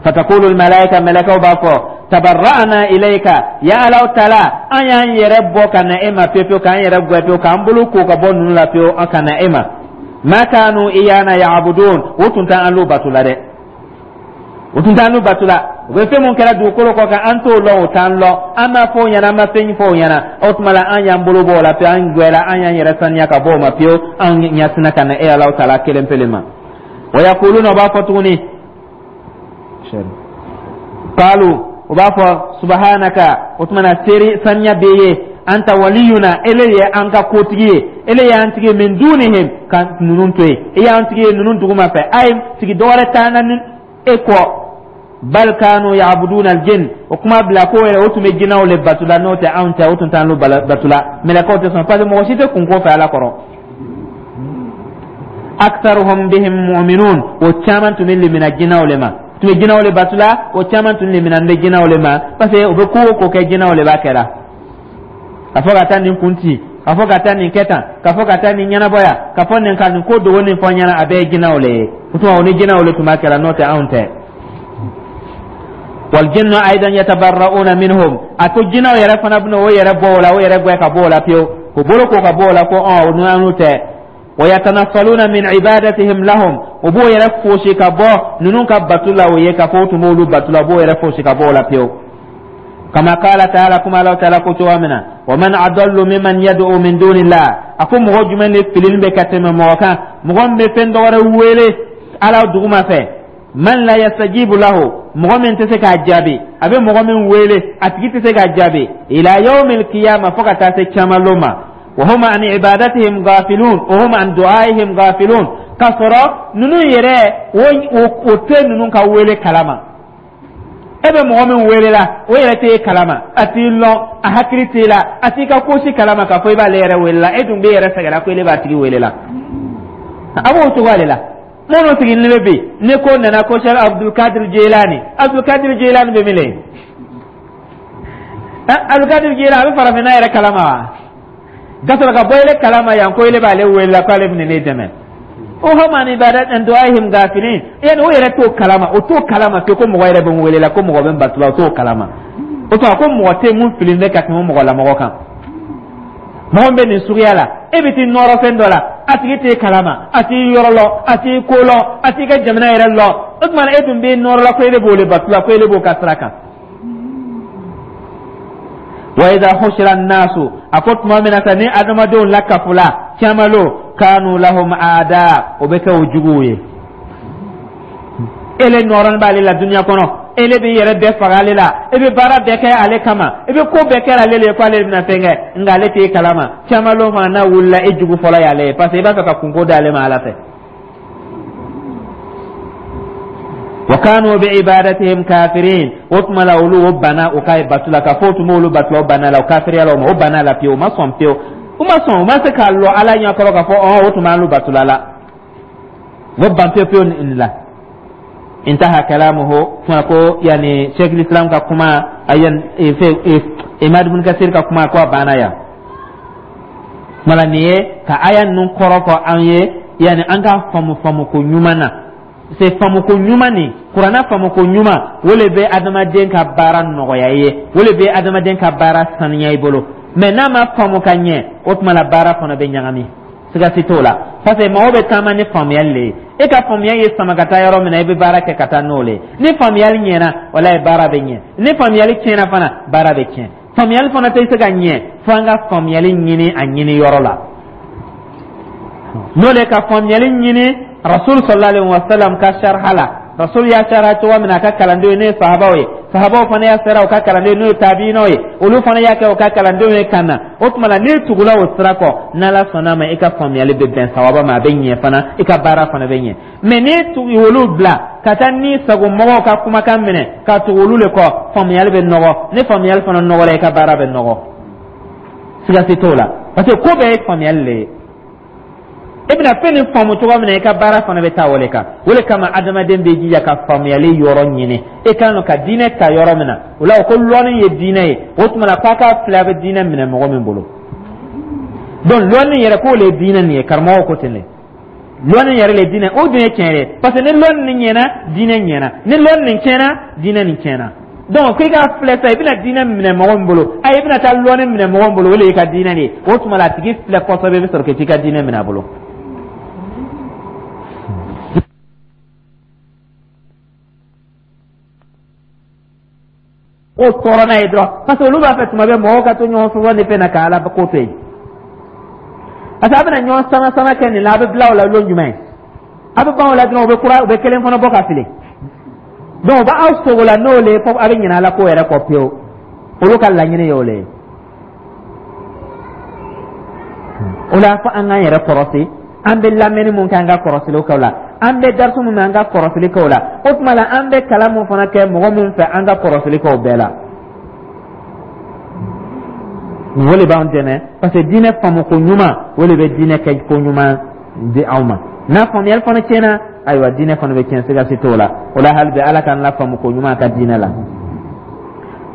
Fatakulu almalaika, mɛlɛkɛw b'a fɔ: tabarra'na ilayka ya Alaw tala, an y'an yɛrɛ bɔ ka na e ma pewu pewu, k'an yɛrɛ gwɛ pewu, k'an bolo ko ka bɔ ninnu la pewu, an ka na e ma. Ma kanu iyana ya'budun, o tun t'an lu batu la dɛ, o tun t'an lu batu la. U bɛ fɛn mun kɛra dugukolo kɔ kan, an t'o lɔn, o t'an lɔn, an ma fɔ o ɲɛna, an ma fɛn fɔ o ɲɛna. O tuma la, an y'an bolo bɔ o la pewu, an gwɛla, an y'an yɛrɛ saniya ka bɔ o ma pewu, an ɲɛsina ka na e Alaw tala kelen pele ma. Wa yaquluna, o b'a fɔ tuguni, qalu, o b'a fɔ: subhanaka, o tuma na seri saniya b'e ye, anta waliyuna, ele ye an ka kotigi ye, ele y'an tigi ye, min dunihim, ka ninnu to yen, e y'an tigi ye ninnu duguma fɛ, ayi, tigi dɔwɛrɛ t'an na ni e kɔ. Bal kanu ya'buduna aljin, o kuma bila ko yɛrɛ o tun bɛ jinɛw le batu la, n'o tɛ anw tɛ, o tun t'an batu la. Mɛlɛkɛw tɛ sɔn, parce que mɔgɔ si tɛ kunko fɛ Ala kɔrɔ. Aktharuhum bihim mu'minun, o caman tun bɛ limina jinɛw le ma, tun bɛ jinɛw le batu la, o caman tun limina bɛ jinɛw le ma, parce que u bɛ ko o ko kɛ, jinɛw le b'a kɛra, ka fɔ ka taa nin kun ci, ka fɔ ka taa nin kɛ tan, ka fɔ ka taa nin ɲɛnabɔ yan, ka fɔ nin ka nin ko dogo nin fɔ ɲɛna, a bɛɛ ye jinɛw le ye. O tuma, o ni jinɛw le tun b'a kɛra, n'o tɛ anw tɛ. Waljinnu aidan yatabarra'una minhum, a ko jinɛw yɛrɛ fana bɛna o yɛrɛ bɔ o la, o yɛrɛ gwɛ ka bɔ o la pewu, k'o bolo ko ka bɔ o la, ko ɔn o n'an tɛ. Wa yatanassaluna min ibadatihim lahum, o b'o yɛrɛ fosi ka bɔ ninnu ka batu la, o ye k'a fɔ o tun b'olu batu la, o b'o yɛrɛ fosi ka bɔ o la pewu. Kama qala ta'ala, kuma Ala ta'ala ko cogoya min na: wa man adallu mimman yad'u min dunillah, a ko mɔgɔ jumɛn de filili bɛ ka tɛmɛ mɔgɔ kan, mɔgɔ min bɛ fɛn dɔ wɛrɛ wele Ala duguma fɛ, man la yastajibu lahu, mɔgɔ min tɛ se k'a jaabi, a bɛ mɔgɔ min wele, a tigi tɛ se k'a jaabi, ila yawmil qiyamah, fo ka taa se caman ma. Wa hum an ibadatihim ghafilun wa hum an du'aihim ghafilun, k'a sɔrɔ ninnu yɛrɛ o tɛ ninnu ka wele kalama. E bɛ mɔgɔ min wele la, o yɛrɛ t'e kalama, a t'i lɔn, a hakili t'e la, a t'i ka ko si kalama, k'a fɔ i b'ale yɛrɛ wele la, e dun b'e yɛrɛ sɛgɛrɛ ko ele b'a tigi wele la. A b'o cogoya de la. Minnu sigilen bɛ bi ni ko nana ko Cheikh Abdulkadir Jilani, Abdulkadir Jilani bɛ min le? Abdulkadir Jilani a bɛ farafinna yɛrɛ kalama wa? Ka sɔrɔ ka bɔ ele kalama yan ko ele b'ale wele la k'ale bɛna ne dɛmɛ. O hum an ibadat an du'aihim ghafilin, yani o yɛrɛ t'o kalama, o t'o kalama fiyewu ko mɔgɔ yɛrɛ bɛ n wele la, ko mɔgɔ bɛ n bato la, o t'o kalama. O tuma, ko mɔgɔ tɛ mun fili bɛ ka tɛmɛ mɔgɔ lamɔgɔ kan. Mɔgɔ min bɛ nin suguya la, e bɛ t'i nɔrɔ fɛn dɔ la, a tigi t'e kalama, a t'i yɔrɔ lɔ, a t'i ko lɔ, a t'i ka jamana yɛrɛ lɔ. O tuma, e dun bɛ nɔrɔ la ko e de b'o le bato la, ko e de b'o ka sira kan. Wa idha hushira an-nasu, a ko tuma min na sa ni adamadenw lakafula camalo, kanu lahum aada, o bɛ kɛ o juguw ye. Ele nɔrɔn b'ale la dunuya kɔnɔ, ele b'i yɛrɛ bɛɛ faga ale la, e bɛ baara bɛɛ kɛ ale kama, e bɛ ko bɛɛ kɛ ale le ko ale bɛna fɛn kɛ, nka ale t'e kalama. Camalo fana n'a wulila, e jugu fɔlɔ y'ale ye, parce que i b'a fɛ ka kunko d'ale ma Ala fɛ. Wa kanu bi ibadatihim kafirin, o tuma la, olu o banna o ka batu la, ka fɔ o tun b'olu batu la, o banna la, o kafiriya la o ma, o banna la pewu, o ma sɔn pewu, o ma sɔn, o ma se k'a lɔ Ala ɲɛkɔrɔ k'a fɔ ɔn o tun b'an batu la la, o ban pewu pewu nin la. Intaha kalamuhu, kuma ko yani Sheikh Islam ka kuma ayan Imad ibn Kasir ka kuma ko a banna yan. Kuma la, nin ye ka aya ninnu kɔrɔ fɔ an ye, yani an ka faamu faamu ko ɲuman na. Se faamuko ɲuman nin, kuranna faamuko ɲuman, o le bɛ adamaden ka baara nɔgɔya i ye, o le bɛ adamaden ka baara saniya i bolo. Mɛ n'a ma faamu ka ɲɛ, o tuma la baara fana bɛ ɲagami. Siga si t'o la, parce que mɔgɔw bɛ taama ni faamuyali le ye. E ka faamuya ye sama ka taa yɔrɔ min na, i bɛ baara kɛ ka taa n'o le ye. Ni faamuyali ɲɛna, walayi, baara bɛ ɲɛ. Ni faamuyali tiɲɛna fana, baara bɛ tiɲɛ. Faamuyali fana tɛ se ka ɲɛ fo an ka faamuyali ɲini a ɲini yɔrɔ la, n'o le ka faamuyali ɲini Rasul sallallahu alaihi wasallam ka sharha la. Rasul y'a sharha cogo min na a ka kalandenw ye, n'o ye sahabaw ye, sahabaw fana y'a sara u ka kalandenw, n'o ye tabiinaw ye, olu fana y'a kɛ u ka kalandenw ye ka na. O tuma la, n'i tugula o sira kɔ, n'Ala sɔnna ma, i ka faamuyali bɛ bɛn sawaba ma, a bɛ ɲɛ fana, i ka baara fana bɛ ɲɛ. Mɛ n'i tugu olu bila ka taa ni sago mɔgɔw ka kumakan minɛ ka tugu olu le kɔ, faamuyali bɛ nɔgɔ. Ni faamuyali fana nɔgɔra, i ka baara bɛ nɔgɔ, siga si t'o la, parce que ko bɛɛ ye faamuyali le ye. I bɛna fɛn nin faamu cogo min na, i ka baara fana bɛ taa o de kan. O de kama adamaden bɛ jija ka faamuyali yɔrɔ ɲini. E kan ka diinɛ ta yɔrɔ min na, o la o ko lɔnni ye diinɛ ye. O tuma na, k'a k'a filɛ, a bɛ diinɛ minɛ mɔgɔ min bolo. Donc lɔnni yɛrɛ, k'o le ye diinɛ nin ye. Karamɔgɔw ko ten de, lɔnni yɛrɛ le ye diinɛ. O dun ye tiɲɛ ye, parce que ni lɔnni nin ɲɛna, diinɛ ɲɛna. Ni lɔnni nin tiɲɛna, diinɛ nin tiɲɛna. Donc k'i k'a filɛ sa, i bɛna diinɛ minɛ mɔgɔ min bolo, ayi, i bɛna taa lɔnni minɛ mɔgɔ min bolo, o de y'i ka diinɛ de ye. O tuma la, a tigi filɛ kosɛbɛ, i bɛ sɔrɔ k'i ka diinɛ minɛ a bolo. O tɔɔrɔ n'a ye dɔrɔn, parce que olu b'a fɛ tuma bɛɛ mɔgɔw ka to ɲɔgɔn sɔsɔ ni fɛn na, ka Ala ko to yen, parce que a bɛna ɲɔgɔn sama sama kɛ nin la, a bɛ bila o la lon jumɛn? A bɛ ban o la dɔrɔn, u bɛ kura, u bɛ kelen fana bɔ ka fili. Donc u b'aw sogo la n'o le ye, fo a bɛ ɲinɛ Ala ko yɛrɛ kɔ pewu. Olu ka laɲini ye o le ye. O la, fo an k'an yɛrɛ kɔrɔsi. An bɛ lamɛnni mun kɛ, an ka kɔrɔsiliw kɛ o la. An bɛ darisu mun mɛn, an ka kɔrɔsili kɛ o la. O tuma la, an bɛ kalan mun fana kɛ mɔgɔ min fɛ, an ka kɔrɔsili kɛ o bɛɛ la. O de b'an dɛmɛ, parce que diinɛ faamuko ɲuman, o de bɛ diinɛ kɛ ko ɲuman di anw ma. N'a faamuyali fana tiɲɛna, ayiwa, diinɛ fana bɛ tiɲɛ, siga si t'o la. O la, hali bi, Ala k'an la faamuko ɲuman ka diinɛ la.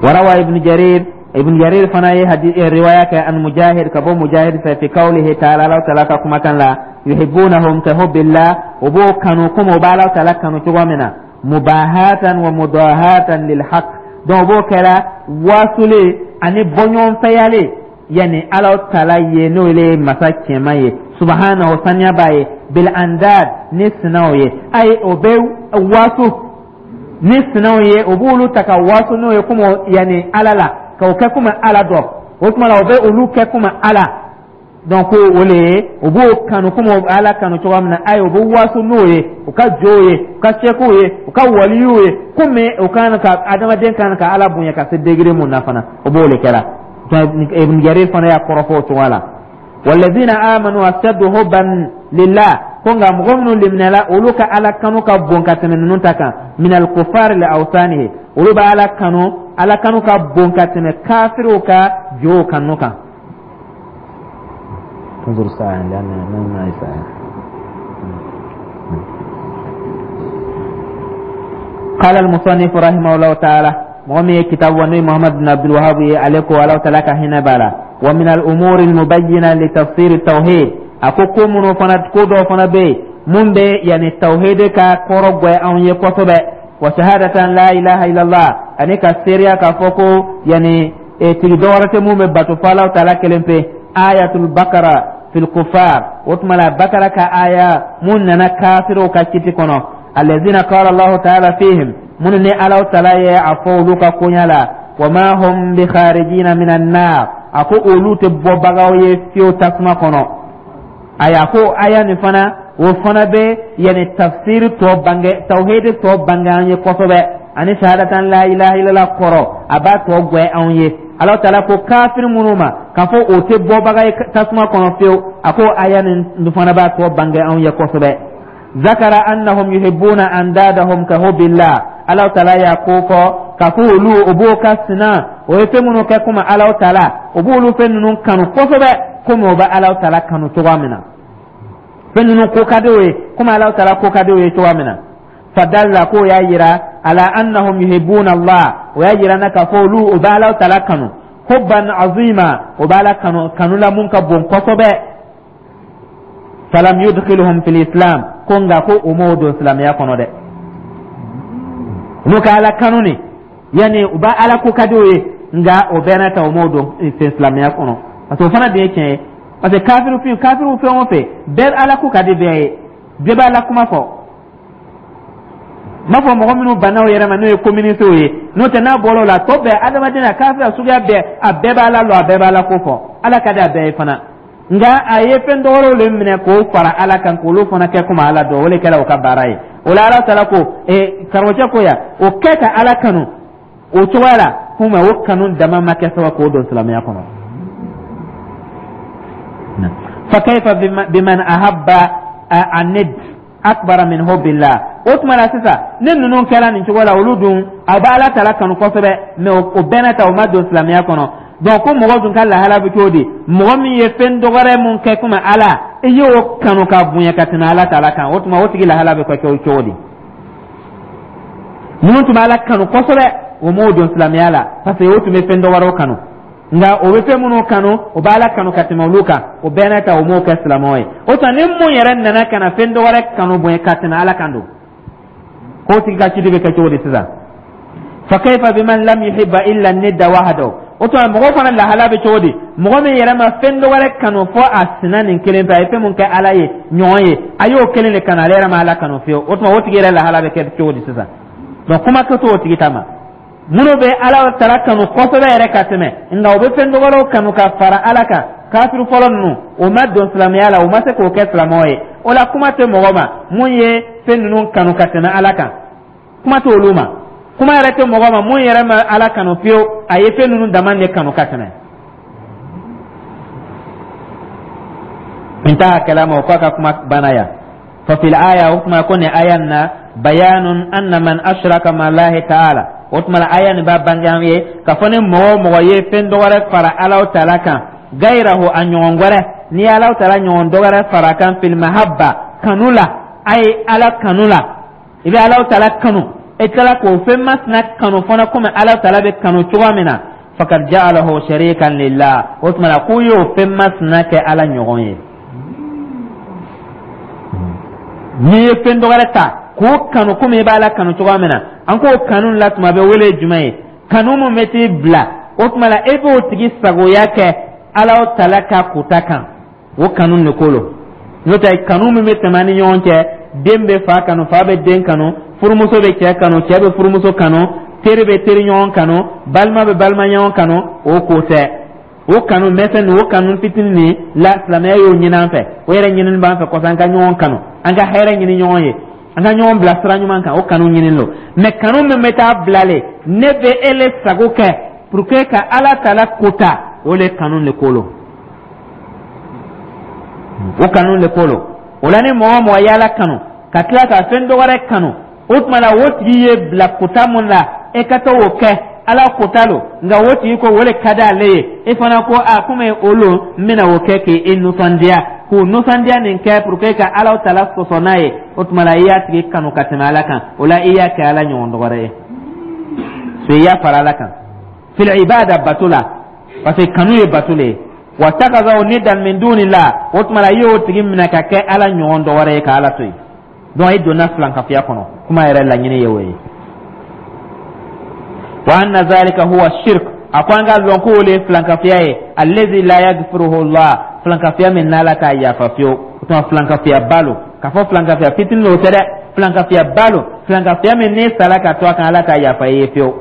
Warawa Ibn Jarir, Ibn Jarir fana ye hadi riwaya kɛ an Mujahid, ka bɔ Mujahid fɛ, fi qawlihi ta'ala, Ala ta'ala ka kumakan la, yuhibbunahum ka hubbillah, o b'o kanu komi o b'Ala ta'ala kanu cogo min na, mubahatan wa mudahatan lil haqq. Donc o b'o kɛra wasuli ani bɔɲɔgɔnfɛyale, yani Ala ta'ala ye, n'o ye masa cɛman ye, subhanahu, saniya b'a ye, bil andad, ni sinaw ye. Ayi, o bɛ wasu ni sinaw ye, o b'olu ta ka wasu n'o ye komi yani Ala la, k'o kɛ komi Ala dɔ. O tuma la, o bɛ olu kɛ komi Ala. Donc o le ye, o b'o kanu komi Ala kanu cogoya min na. Ayi, o bɛ wasu n'o ye, u ka jow ye, u ka sɛkiw ye, u ka waliyuw ye, komi o kan ka adamaden kan ka Ala bonya ka se degré mun na fana, o b'o le kɛra. Ibn Jarir fana y'a kɔrɔfɔ o cogoya la. Walladhina amanu ashaddu hubban lillah, ko nka mɔgɔ minnu liminɛla, olu ka Ala kanu ka bon ka tɛmɛ ninnu ta kan, minal kufari li awsanihi, olu bɛ Ala kanu, Ala kanu ka bon ka tɛmɛ kafiriw ka jow kanu kan. انظر الساعة لأن ما ساعة. قال المصنف رحمه الله تعالى، مغمي كتاب وني محمد بن عبد الوهاب عليكم ولو تلاك هنا بالا. ومن الأمور المبينة لتفسير التوحيد، أكو كومنو فنا كودو فنا بي من بي يعني التوحيد كا كورو أو يكوتو وشهادة لا إله إلا الله، أني كسيريا كفوكو يعني tigi dɔwɛrɛ tɛ mun bɛ bato fo Alahu taala kelen pe. Ayatul Bakara fil kufar, o tuma la Bakara ka aya mun nana kafiriw ka kiti kɔnɔ, alladhina qala Allahu ta'ala fihim, minnu ni Alahu taala ye a fɔ olu ka koɲa la, wa ma hum bi kharijina minan nar, a ko olu tɛ bɔbagaw ye fiyewu tasuma kɔnɔ. Ayi, a ko aya nin fana, o fana bɛ yani tafsiri tɔ bange, tawhidi tɔ bange an ye kosɛbɛ, ani shahadatan la ilaha illallah kɔrɔ, a b'a tɔ gwɛ anw ye. Ala taala ko kafiri minnu ma k'a fɔ o tɛ bɔbaga ye tasuma kɔnɔ fiyewu, a ko aya nin fana b'a tɔ bange anw ye kosɛbɛ. Zakara annahum yuhibbuna andadahum ka hubbillah, Ala taala y'a ko fɔ k'a fɔ olu o b'o ka sina, o ye fɛn minnu kɛ komi Ala taala, o b'olu fɛn ninnu kanu kosɛbɛ komi o bɛ Ala taala kanu cogoya min na. Fɛn ninnu ko ka di o ye komi Ala taala ko ka di o ye cogoya min na. Fadalla, k'o y'a yira, ala annahum yuhibbuna Allah, o y'a yira na k'a fɔ olu o bɛ Ala taala kanu, hubban azima, o bɛ Ala kanu kanu la mun ka bon kosɛbɛ. Falam yudkhiluhum fil islam, ko nka ko o m'o don silamɛya kɔnɔ dɛ. Olu ka Ala kanu ni yanni u b'a Ala ko ka di o ye, nka o bɛɛ n'a ta, o m'o don silamɛya kɔnɔ, parce que o fana de ye tiɲɛ ye. Parce que kafiru fin, kafiru fɛn o fɛn bɛɛ, Ala ko ka di bɛɛ ye, bɛɛ b'a la kuma fɔ. N b'a fɔ mɔgɔ minnu banna o yɛrɛ ma, n'o ye communistew ye. N'o tɛ, n'a bɔra o la, tɔ bɛɛ, adamadenya, kafiri suguya bɛɛ, a bɛɛ b'a la lɔ, a bɛɛ b'a la ko fɔ. Ala ka di a bɛɛ ye fana, nka a ye fɛn dɔwɛrɛw le minɛ k'o fara Ala kan, k'olu fana kɛ komi Ala dɔn. O de kɛra o ka baara ye. O la, Ala taala ko ee karamɔgɔcɛ ko yan, o kɛ ka Ala kanu o cogoya la, komi o kanu dama ma kɛ sababu k'o don silamɛya kɔnɔ. Fa kayfa biman ahabba anid akbara min hubbillah? O tuma la sisan, ni ninnu kɛra nin cogo la, olu dun a bɛ Ala tala kanu kosɛbɛ, mais o bɛɛ n'a ta, o ma don silamɛya kɔnɔ. Donc ko mɔgɔ dun ka lahala bɛ cogo di? Mɔgɔ min ye fɛn dɔgɔrɛ mun kɛ komi Ala, i y'o kanu ka bonya ka tɛmɛ Ala tala kan, o tuma o tigi lahala bɛ kɛ cogo di? Minnu tun bɛ Ala kanu kosɛbɛ, o m'o don silamɛya la, parce que o tun bɛ fɛn dɔwɛrɛw kanu. Nka o bɛ fɛn minnu kanu, o bɛ Ala kanu ka tɛmɛ olu kan, o bɛɛ n'a ta, o m'o kɛ silamɛw ye. O tuma ni mun yɛrɛ nana ka na fɛn dɔwɛrɛ kanu bonya ka tɛmɛ Ala kan don, k'o tigi ka ciden bɛ kɛ cogo di sisan? Fa kayfa biman lam yuhibba illa nidda wahdahu? O tuma mɔgɔ fana lahala bɛ cogo di? Mɔgɔ min yɛrɛ ma fɛn dɔwɛrɛ kanu fɔ a sina nin kelen fɛ, a ye fɛn mun kɛ Ala ye ɲɔgɔn ye, a y'o kelen de kanu, ale yɛrɛ ma Ala kanu fiyewu. O tuma o tigi yɛrɛ lahala bɛ kɛ cogo di sisan? Donc kuma kɛ t'o tigi ta ma. Minnu bɛ Ala tala kanu kosɛbɛ yɛrɛ ka tɛmɛ, nka u bɛ fɛn dɔwɛrɛw kanu ka fara Ala kan, kafiru fɔlɔ ninnu, o ma don silamɛya la, o ma se k'o kɛ silamɛw ye. O la, kuma tɛ mɔgɔ ma mun ye fɛn ninnu kanu ka tɛmɛ Ala kan, kuma tɛ olu ma. Kuma yɛrɛ tɛ mɔgɔ ma mun yɛrɛ ma Ala kanu fiyewu, a ye fɛn ninnu dama de kanu ka tɛmɛ. Intaha kalama, o k'a ka kuma banna yan. Fa fil aya, o kuma ko nin aya na, bayanun anna man ashraka ma Allahi ta'ala. O tuma la, aya nin b'a bange an ye k'a fɔ ni mɔgɔ o mɔgɔ ye fɛn dɔwɛrɛ fara Alaw taala kan, gayirahu, a ɲɔgɔn wɛrɛ, n'i ye Alaw taala ɲɔgɔn dɔwɛrɛ fara kan, fil mahabba, kanu la, a ye Ala kanu la, i bɛ Alaw taala kanu, e tilala k'o fɛn masina kanu fana komi Alaw taala bɛ kanu cogoya min na, fakad ja'alahu sharikan lillah. O tuma la, k'u y'o fɛn masina kɛ Ala ɲɔgɔn ye. N'i ye fɛn dɔwɛrɛ ta k'o kanu komi i b'Ala kanu cogoya min na, an k'o kanu la tuma bɛ wele jumɛn ye? Kanu mun bɛ t'i bila, o tuma la e b'o tigi sagoya kɛ Ala tala ka kuta kan, o kanu de ko lo. N'o tɛ, kanu min bɛ tɛmɛ an ni ɲɔgɔn cɛ, den bɛ fa kanu, fa bɛ den kanu, furumuso bɛ cɛ kanu, cɛ bɛ furumuso kanu, teri bɛ teri ɲɔgɔn kanu, balima bɛ balima ɲɔgɔn kanu, o ko tɛ. O kanu mɛsɛn, o kanu fitinin nin la, silamɛya y'o ɲini an fɛ, o yɛrɛ ɲinini b'an fɛ kɔsɔn, an ka ɲɔgɔn kanu, an ka hɛrɛ ɲini ɲɔgɔn ye, an ka ɲɔgɔn bila sira ɲuman kan, o kanu ɲinin lo. Mais kanu min bɛ taa bilale ne bɛ e le sago kɛ pour que ka Ala tala kota, o le kanu le ko lo, o kanu le ko lo. O la, ni mɔgɔ o mɔgɔ ye Ala kanu ka tila ka fɛn dɔ wɛrɛ kanu, o tuma la o tigi ye bila kota mun la, e ka taa o kɛ, Ala kota lo, nka o tigi ko o le ka di ale ye, e fana ko a komi o lo, n bɛna o kɛ k'e nisɔndiya, k'o nisɔndiya nin kɛ pour que ka Ala tala sɔsɔ n'a ye, o tuma la i y'a tigi kanu ka tɛmɛ Ala kan. O la, i y'a kɛ Ala ɲɔgɔn dɔ wɛrɛ ye, so i y'a fara Ala kan fil ibada, bato la, parce que kanu ye bato le ye. Wa takazaw nidan min dunillah, o tuma la i y'o tigi minɛ ka kɛ Ala ɲɔgɔn dɔ wɛrɛ ye ka Ala to yen. Donc i donna filankafiya kɔnɔ. Kuma yɛrɛ laɲini ye o ye. Wa anna zalika huwa shirk, a ko an ka lɔn k'o le ye filankafiya ye, allazi la yaghfiruhu Allah, filankafiya min n'Ala t'a yafa fiyewu. O tuma filankafiya ba lo. K'a fɔ filankafiya fitinin o tɛ dɛ, filankafiya ba lo, filankafiya min n'e sara ka to a kan, Ala t'a yafa i ye fiyewu.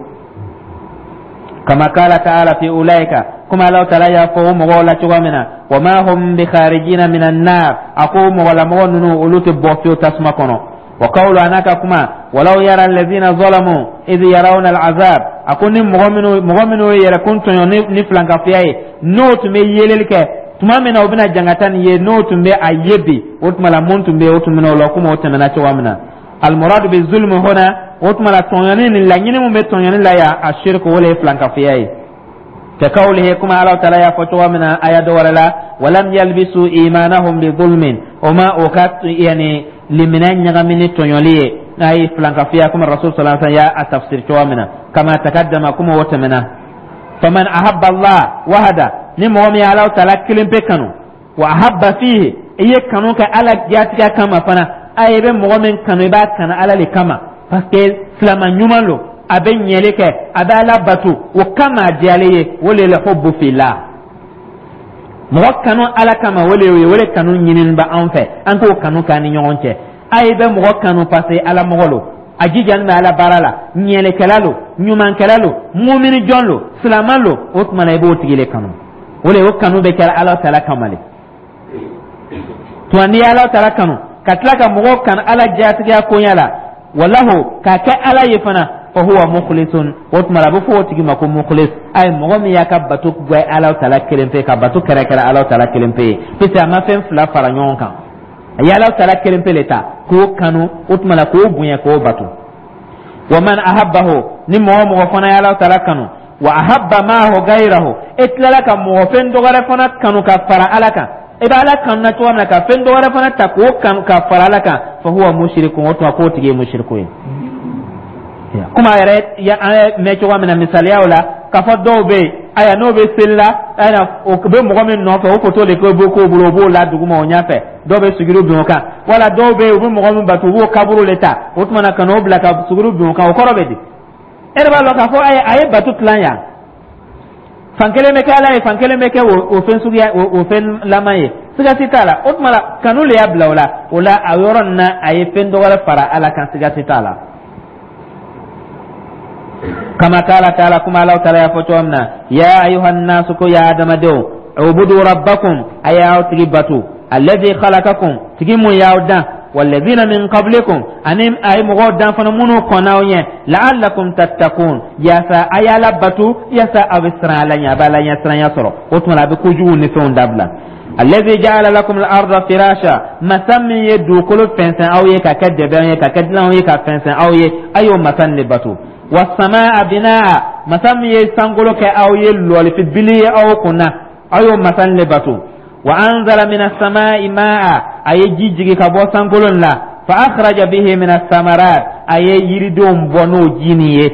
Kama kala ta'ala fi ulaika, kuma Ala taala y'a fɔ o mɔgɔw la cogo min na, wa ma hum bi kharijina minan nar, a ko mɔgɔlamɔgɔ ninnu, olu tɛ bɔ fiyewu tasuma kɔnɔ. Wa qawlu, a n'a ka kuma, walaw yara allazina zalamu idh yarawna al'azab, a ko ni mɔgɔ minnu mɔgɔ minnu ye yɛrɛkun tɔɲɔ ni, ni filankafiya ye, n'o tun bɛ yeleli kɛ tuma min na o bɛna jangata nin ye, n'o tun bɛ a ye bi, o tuma la mun tun bɛ yen, o tun bɛ o la komi o tɛmɛna cogoya min na. Almuradu bi zulmi huna, o tuma la tɔɲɔni nin, laɲini mun bɛ tɔɲɔni la yan, a shirku, o le ye filankafiya ye. Ka kawlihi, kuma Ala taala y'a fɔ cogoya min na aya dɔ wɛrɛ la, walam yalbisu imanahum bi zulmin, o ma o ka yani limina ɲagami ni tɔɲɔli ye, n'a ye filankafiya, komi Rasul sallallahu alaihi wasallam y'a tafsir cogoya min na, kama takaddama, komi o tɛmɛna. Faman ahabba Allah wahada, ni mɔgɔ min ye Ala taala kelen pe kanu, wa ahabba fihi, i ye kanu kɛ Ala jatigɛ kama fana, a ye bɛ mɔgɔ min kanu, i b'a kanu Ala le kama, parce que silama ɲuman lo, a bɛ ɲɛli kɛ, a bɛ Ala bato, o kama a diyalen ye, o le la hubbu fillah. Mɔgɔ kanu Ala kama, o le ye, o le kanu ɲinini bɛ anw fɛ, an k'o kanu k'an ni ɲɔgɔn cɛ. A ye bɛ mɔgɔ kanu parce que Ala mɔgɔ lo, a jijani bɛ Ala baara la, ɲɛlikɛla lo, ɲumankɛla lo, mumini jɔn lo, silamɛ lo. O tuma na, i b'o tigi le kanu. O le o kanu bɛ kɛra Ala tala kama le. Tuma n'i ye Ala tala kanu ka tila ka mɔgɔw kanu Ala jatigiya koɲɛ la, walahu k'a kɛ Ala ye fana, fa huwa mukhlisun. O tuma la, a bɛ fɔ o tigi ma ko mukhlis. A ye mɔgɔ min y'a ka bato gbɛ Ala tala kelen pe, ka bato kɛrɛkɛrɛ Ala tala kelen pe ye, puisque a ma fɛn fila fara ɲɔgɔn kan, a ye Ala tala kelen pe le ta k'o kanu, o tuma la k'o bonya, k'o bato. Wa man ahabbahu, ni mɔgɔ mɔgɔ fana ye Ala tala kanu, wa ahabba maahu gayrahu, e tilala ka mɔgɔ fɛn dɔ wɛrɛ fana kanu ka fara Ala kan, i bɛ Ala kanu na cogo min na, ka fɛn dɔ wɛrɛ fana ta k'o kanu ka fara Ala kan, fa huwa mushrikun. O tuma k'o tigi ye mushriku ye. Komi a yɛrɛ an ye mɛn cogo min na misaliyaw la, k'a fɔ dɔw bɛ yen, ayiwa, n'o bɛ seli la, ayiwa, o bɛ mɔgɔ min nɔfɛ, o foto de b'o k'o bolo, o b'o la duguma o ɲɛfɛ, dɔw bɛ suguru bin o kan, wala dɔw bɛ yen, u bɛ mɔgɔ min bato, u b'o kaburu de ta, o tuma na ka n'o bila ka suguru bin o kan. O kɔrɔ bɛ di? E yɛrɛ b'a lɔn k'a fɔ a ye bato tilan yan, fan kelen bɛ kɛ Ala ye, fan kelen bɛ kɛ o fɛn suguya, o fɛn laban ye, siga si t'a la. O tuma la, kanu le y'a bila o la. O la, a yɔrɔ nin na, a ye fɛn dɔ wɛrɛ fara Ala kan, siga si t'a la. Kama kala taala, kuma Ala taala y'a fɔ cogo min na: ya ayuha nasu, ko ya adamadenw, ubudu rabbakum, a y'aw tigi bato, alladhi khalaqakum, tigi mun y'aw dan, walladhina min qablikum, ani a ye mɔgɔw dan fana minnu kɔnna aw ɲɛ, la'allakum tattakun, yaasa a y'Ala bato, yaasa aw bɛ siran Ala ɲɛ, a bɛ Ala ɲɛ siranya sɔrɔ. O tuma a bɛ kojugu ni fɛnw dabila. Alladhi ja'ala lakum al-arda firasha, masa min ye dugukolo fɛnsɛn aw ye ka kɛ dɛbɛn ye, ka kɛ dilanw ye, ka fɛnsɛn aw ye, a y'o masa nin de bato. Wasamaa binaa, masa min ye sankolo kɛ aw ye lɔlifi bili ye aw kunna, aw y'o masa nin de bato. Wa anzala mina samai maa, a ye ji jigi ka bɔ sankolo la, fa akhraja bihi mina samarat, a ye yiridenw bɔ n'o ji nin ye,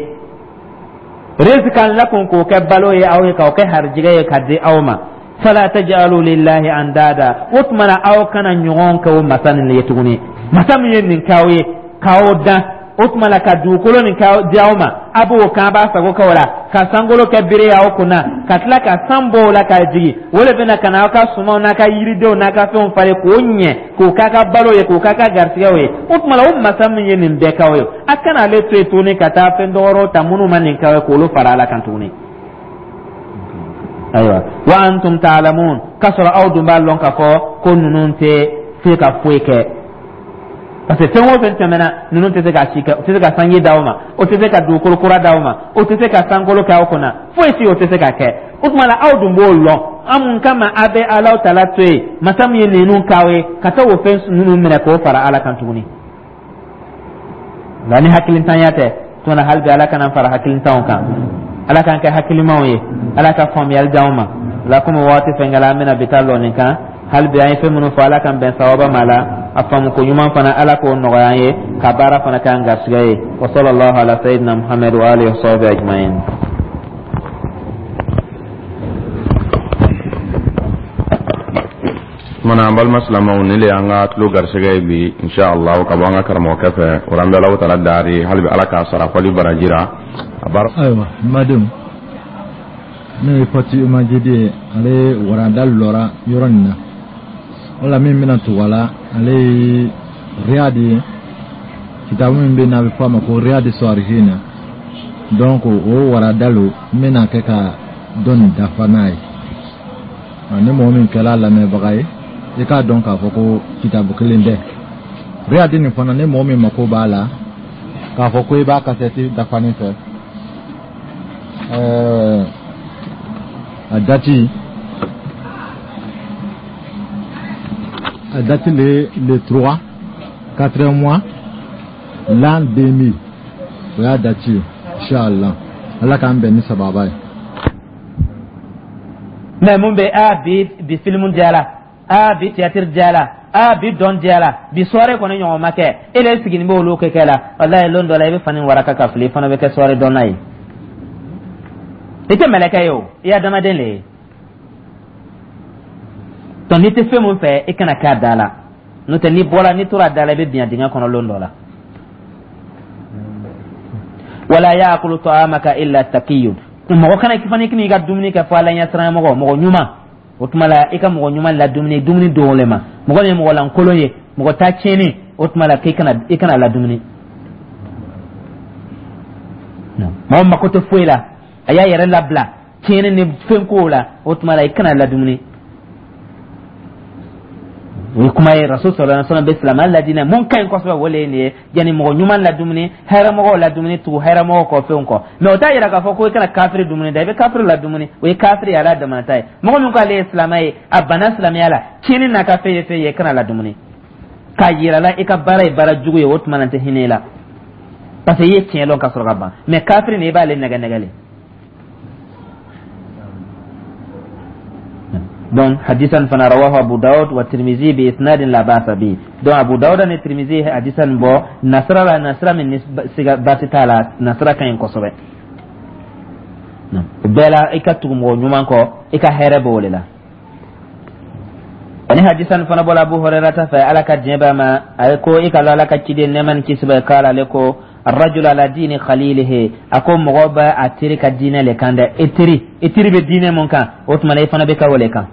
rizqan lakum, k'o kɛ balo ye aw ye, k'o kɛ harijigɛ ye ka di aw ma. Fala taj'alu lillahi andada, o tuma na aw kana ɲɔgɔn kɛ o masa nin ye tuguni. Masa min ye nin k'aw ye, k'aw dan, o tuma la ka dugukolo nin ka di aw ma, a b'o kan, a b'a sago kɛ o la, ka sankolo kɛ bere ye aw kunna, ka tila ka san bɔ o la ka jigin, o de bɛna ka na aw ka sumanw n'a ka yiridenw n'a ka fɛnw falen k'o ɲɛ, k'o k'a ka balo ye, k'o k'a ka garisigɛw ye. O tuma la, o masa min ye nin bɛɛ k'aw ye, a kana ale to yen tuguni ka taa fɛn dɔwɛrɛw ta minnu ma nin k'aw ye, k'olu fara Ala kan tuguni. Ayiwa, wa antum ta'lamun, k'a sɔrɔ aw dun b'a lɔn k'a fɔ ko ninnu tɛ se ka foyi kɛ, parce que fɛn o fɛn tɛmɛna, ninnu tɛ se ka si kɛ, o tɛ se ka sanji d'aw ma, o tɛ se ka dugukolo kura d'aw ma, o tɛ se ka sankolo kɛ aw kunna, foyi si o tɛ se ka kɛ. O tuma la, aw dun b'o lɔn, an mun kama a bɛ Alaw tala to yen, masa min ye ninnu k'aw ye, ka taa o fɛn ninnu minɛ k'o fara Ala kan tuguni? Nka ni hakilintanya tɛ tuma, hali bi Ala kana fara hakilintanw kan, Ala k'an kɛ hakilimaw ye, Ala ka faamuyali d'anw ma. La komi waati fɛnkɛla, an bɛna bi taa lɔ nin kan. Hali bi an ye fɛn minnu fɔ, Ala k'an bɛn sawaba ma la, a faamu ko ɲuman fana, Ala k'o nɔgɔya an ye, ka baara fana k'an garisɛgɛ ye. Wa sallallahu ala sayyidina Muhammad wa alihi wa sahbihi ajma'in. Kumana, an balima silamɛw, nin le y'an ka tulo garisɛgɛ ye bi, inshallah, ka bɔ an ka karamɔgɔkɛ fɛ. O la, an bɛ Alahu taala dari hali bi, Ala k'a sara fɔli baraji ra a baara. Ayiwa, n badenw, ne ye Fati Majidi ye. Ale waranda lɔra yɔrɔ nin na, o la min bɛna tugu a la, ale ye Riyadi ye. Kitabu min bɛ yen n'a bɛ fɔ a ma ko Riyadi Sɔlihina, donc o warada lo n bɛna kɛ ka dɔ nin dafa n'a ye. Ni mɔgɔ min kɛra lamɛnbaga ye, i k'a dɔn k'a fɔ ko kitabu kelen tɛ. Riyadi nin fana, ni mɔgɔ min mako b'a la k'a fɔ ko i b'a kasɛti dafanin fɛ, ɛɛ a dati a date le le trois quatrième mois l'an deux mille, o y'a date ye, inshallah. Ala k'an bɛn ni sababa ye. Mɛ mun bɛ a bi bi filimu diyara, a bi théâtre diyara, a bi dɔn diyara, bi soirée kɔni ɲɔgɔn ma kɛ, e de sigilen bɛ olu kɛ kɛ la. Walayi, lon dɔ la, i bɛ fani waraka ka fili, i fana bɛ kɛ soirée dɔnna ye. I tɛ mɛlɛkɛ ye o, i ye adamaden le ye. Donc n'i tɛ fɛn mun fɛ, i kana kɛ a da la, n'o tɛ n'i bɔra, n'i tora a da la, i bɛ bin a dingɛ kɔnɔ lon dɔ la. Wala yaakulu ta'amaka illa taqiyun, mɔgɔ kana fana k'i ka dumuni kɛ fo Ala ɲɛsiranɲɛ mɔgɔ, mɔgɔ ɲuman. O tuma la, i ka mɔgɔ ɲuman ladumuni dumuni dogo le ma. Mɔgɔ min ye mɔgɔ lankolon ye, mɔgɔ ta tiɲɛni, o tuma la k'i kana i kana ladumuni. Mɔgɔ mako tɛ foyi la, a y'a yɛrɛ labila tiɲɛni ni fɛn kow la, o tuma la i kana ladumuni. O ye kuma ye Rasul sallallahu alaihi wasallam bɛ silamɛya ladinɛ mun ka ɲi kosɛbɛ. O le ye nin ye, yanni mɔgɔ ɲuman ladumuni, hɛrɛmɔgɔw ladumuni, tugu hɛrɛmɔgɔw kɔ, fɛnw kɔ. Mɛ o t'a yira k'a fɔ ko i kana kafiri dumuni da. I bɛ kafiri ladumuni, o ye kafiri ye, ala damana ta ye. Mɔgɔ min ko ale ye silamɛ ye, a banna silamɛya la, tiɲɛni n'a ka fɛn ye fɛn ye, i kana ladumuni k'a yira la i ka baara ye baara jugu ye. O tuma na, n tɛ hinɛ i la, parce que i ye tiɲɛ lɔn ka sɔrɔ ka ban. Mɛ kafiri nin, i b'ale nɛgɛ nɛgɛ le. Donc hadisan fana rawahu Abu Dawud wa Tirmizi bi isnadin la ba'sa bi. Donc Abu Dawud ni Tirmizi hadisan bɔ nasira la, nasira min ni siga baasi t'a la, nasira ka ɲi kosɛbɛ. O bɛɛ la, i ka tugu mɔgɔ ɲuman kɔ, i ka hɛrɛ b'o de la. Ani hadisan fana bɔla Abu Hurairata fɛ, Ala ka diɲɛ b'a ma, a ko i ka lɔ Ala ka ciden, nɛɛma ni kisi bɛ k'a la, ale ko: الرجل على دين خليله. Ako mɔgɔ bɛ a teri ka diinɛ le kan dɛ. I teri, i teri bɛ diinɛ mun kan, o tuma na i fana bɛ ka o le kan.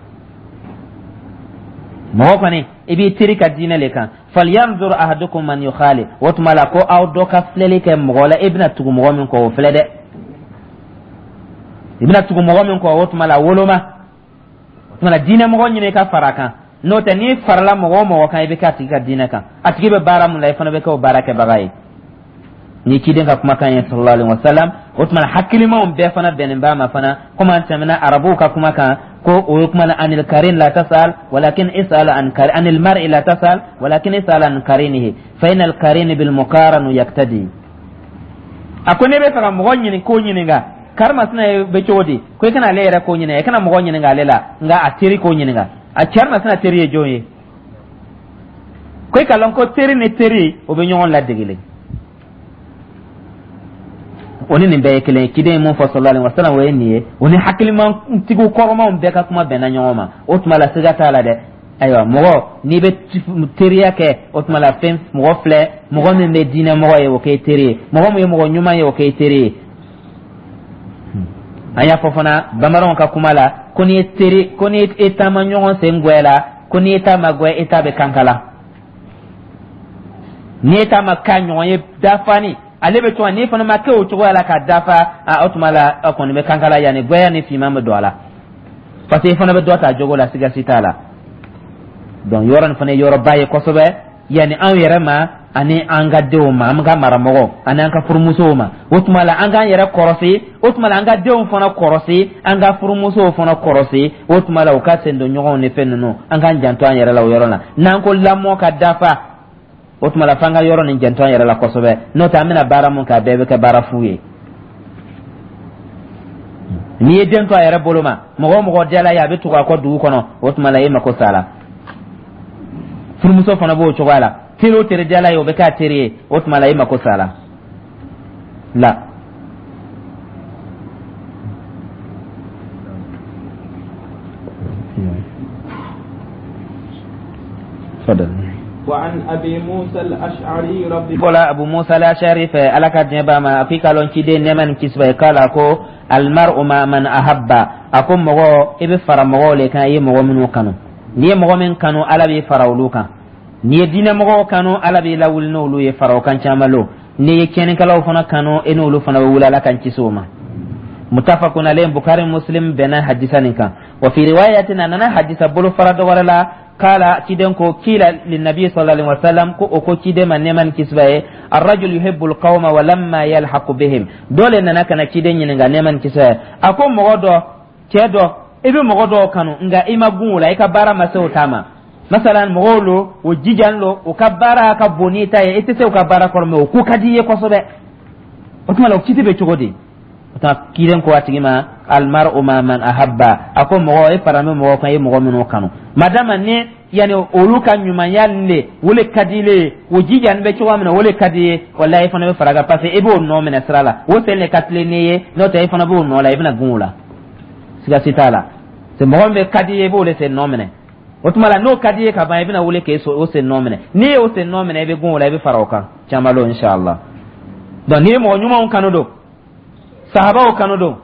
Mɔgɔ kɔni, i b'i teri ka diinɛ le kan. Falyanzur ahadukum man yukhali. O tuma la, ko aw dɔ ka filɛli kɛ mɔgɔ la, i bɛna tugu mɔgɔ min kɔ, o filɛ dɛ. I bɛna tugu mɔgɔ min kɔ, o tuma la woloma, o tuma la diinɛ mɔgɔ ɲini i ka fara a kan. N'o tɛ, n'i farala mɔgɔ o mɔgɔ kan, i bɛ kɛ a tigi ka diinɛ kan. A tigi bɛ baara mun la, i fana bɛ kɛ o baara kɛbaga ye. Ni ciden ka kumakan ye sallallahu alaihi wasallam, o tuma hakilimaw bɛɛ fana bɛnnen b'a ma fana. Komi an tɛmɛna arabuw ka kuma kan ko o ye kuma na: anil karin la tasal walakin isal an kar anil mar'i la tasal walakin isal an karinihi fa inal karini bil muqaranu yaktadi. A ko ne bɛ fɛ ka mɔgɔ ɲini ko ɲininka, karimasina bɛ cogo di? Ko i kana ale yɛrɛ ko ɲininka, i kana mɔgɔ ɲininka ale la, nka a teri ko ɲininka. A karimasina teri ye jɔn ye? Ko i ka lɔn ko teri ni teri, o bɛ ɲɔgɔn ladegele. O ni nin bɛɛ ye kelen ye. Ciden ye mun fɔ sallallahu alaihi wasallam, o ye nin ye. O ni hakilimantigiw kɔrɔmanw bɛɛ ka kuma bɛnna ɲɔgɔn ma. O tuma la, siga t'a la dɛ. Ayiwa, mɔgɔ n'i bɛ teriya kɛ, o tuma la fɛn mɔgɔ filɛ, mɔgɔ min bɛ diinɛ mɔgɔ ye, o k'e teri ye. Mɔgɔ min ye mɔgɔ ɲuman ye, o k'e teri ye. An y'a fɔ fana bamananw ka kuma la ko n'i ye teri, ko n'i ye taama ɲɔgɔn sen gwɛ la, ko n'i ye taama gwɛ, i ta bɛ kankala. N'i ye taama ka ɲɔgɔn ye dafani, ale bɛ cogoya, n'i fana ma kɛ o cogoya la ka dafa, a o tuma la a kɔni bɛ kankala, yanni gwɛya ni finman bɛ don a la, parce que i fana bɛ dɔ ta jogo la, siga si t'a la. Donc yɔrɔ nin fana ye yɔrɔba ye kosɛbɛ, yanni anw yɛrɛ ma ani an ka denw ma, an ka maramɔgɔw ani an ka furumusow ma. O tuma la, an k'an yɛrɛ kɔrɔsi. O tuma la, an ka denw fana kɔrɔsi, an ka furumusow fana kɔrɔsi. O tuma la, u ka sen don ɲɔgɔnw ni fɛn ninnu, an k'an janto an yɛrɛ la o yɔrɔ la. N'an ko lamɔ ka dafa, o tuma la f'an ka yɔrɔ nin janto an yɛrɛ la kosɛbɛ. N'o tɛ, an bɛna baara mun kɛ, a bɛɛ bɛ kɛ baara fu ye. N'i ye den to a yɛrɛ bolo ma, mɔgɔ o mɔgɔ diyala ye, a bɛ tugu a kɔ dugu kɔnɔ, o tuma la e mako s'a la. Furumuso fana b'o cogoya la, teri o teri diyala ye, o bɛ kɛ a teri ye, o tuma la e mako s'a la la. تفضل. وعن أبي موسى الأشعري رضي Bɔla Abu Musa al-Ashari fɛ, Ala ka diɲɛ b'a ma, a k'i ka lɔn ciden, nɛɛma ni kisi b'a ye, k'a ko: almar'u ma man ahabba. A ko mɔgɔ, i bɛ fara mɔgɔw le kan i ye mɔgɔ minnu kanu. N'i ye mɔgɔ min kanu, Ala b'i fara olu kan. N'i ye diinɛ mɔgɔw kanu, Ala b'i lawuli n'olu ye, fara o kan caman lo. N'i ye tiɲɛnikɛlaw fana kanu, e n'olu fana bɛ wuli. Ala kan kisi o ma. Mutafakun alayhi, Bukari Muslim bɛnna hadisa nin kan. Wa fi riwayatin, a nana hadisa bolo fara dɔ wɛrɛ la, kala ciden ko kila linnabi sallallahu alaihi wasallam, ko o ko ciden ma, nɛɛma ni kisi b'a ye: arrajul yuhibbu alqawma wa lamma yalhaqu bihim. Dɔ le nana ka na ciden ɲininka, nɛɛma ni kisi b'a ye. A ko mɔgɔ dɔ, cɛ dɔ, i bɛ mɔgɔ dɔw kanu, nka i ma gun o la, i ka baara ma se o ta ma. Masalan, mɔgɔw lo, o jijan lo, o ka baara ka bon n'i ta ye, i tɛ se u ka baara kɔrɔ, mɛ o ko ka di i ye kosɛbɛ. O tuma la, o kiti bɛ cogo di? O tuma ciden ko a tigi ma: almar'u ma man ahabba. A ko mɔgɔ, e fara bɛ mɔgɔ kan i ye mɔgɔ minnu kanu. Madama ni yani olu ka ɲumanya le, o le ka di le ye, o jijani bɛ cogoya min na, o le ka di ye, walahi i fana bɛ fara kan, parce que i b'o nɔ minɛ sira la, o sen le ka tilen n'i ye. N'o tɛ, i fana b'o nɔ la, i bɛna gun o la, siga si t'a la. C'est mɔgɔ min bɛ ka di ye, i b'o le sen nɔ minɛ. O tuma la, n'o ka di ye ka ban, i bɛna wuli k'e o sen nɔ minɛ. N'i y'o sen nɔ minɛ, i bɛ gun o la, i bɛ fara o kan caman lo, inshallah. Donc n'i ye mɔgɔ ɲumanw kanu don, sahabaw kanu don.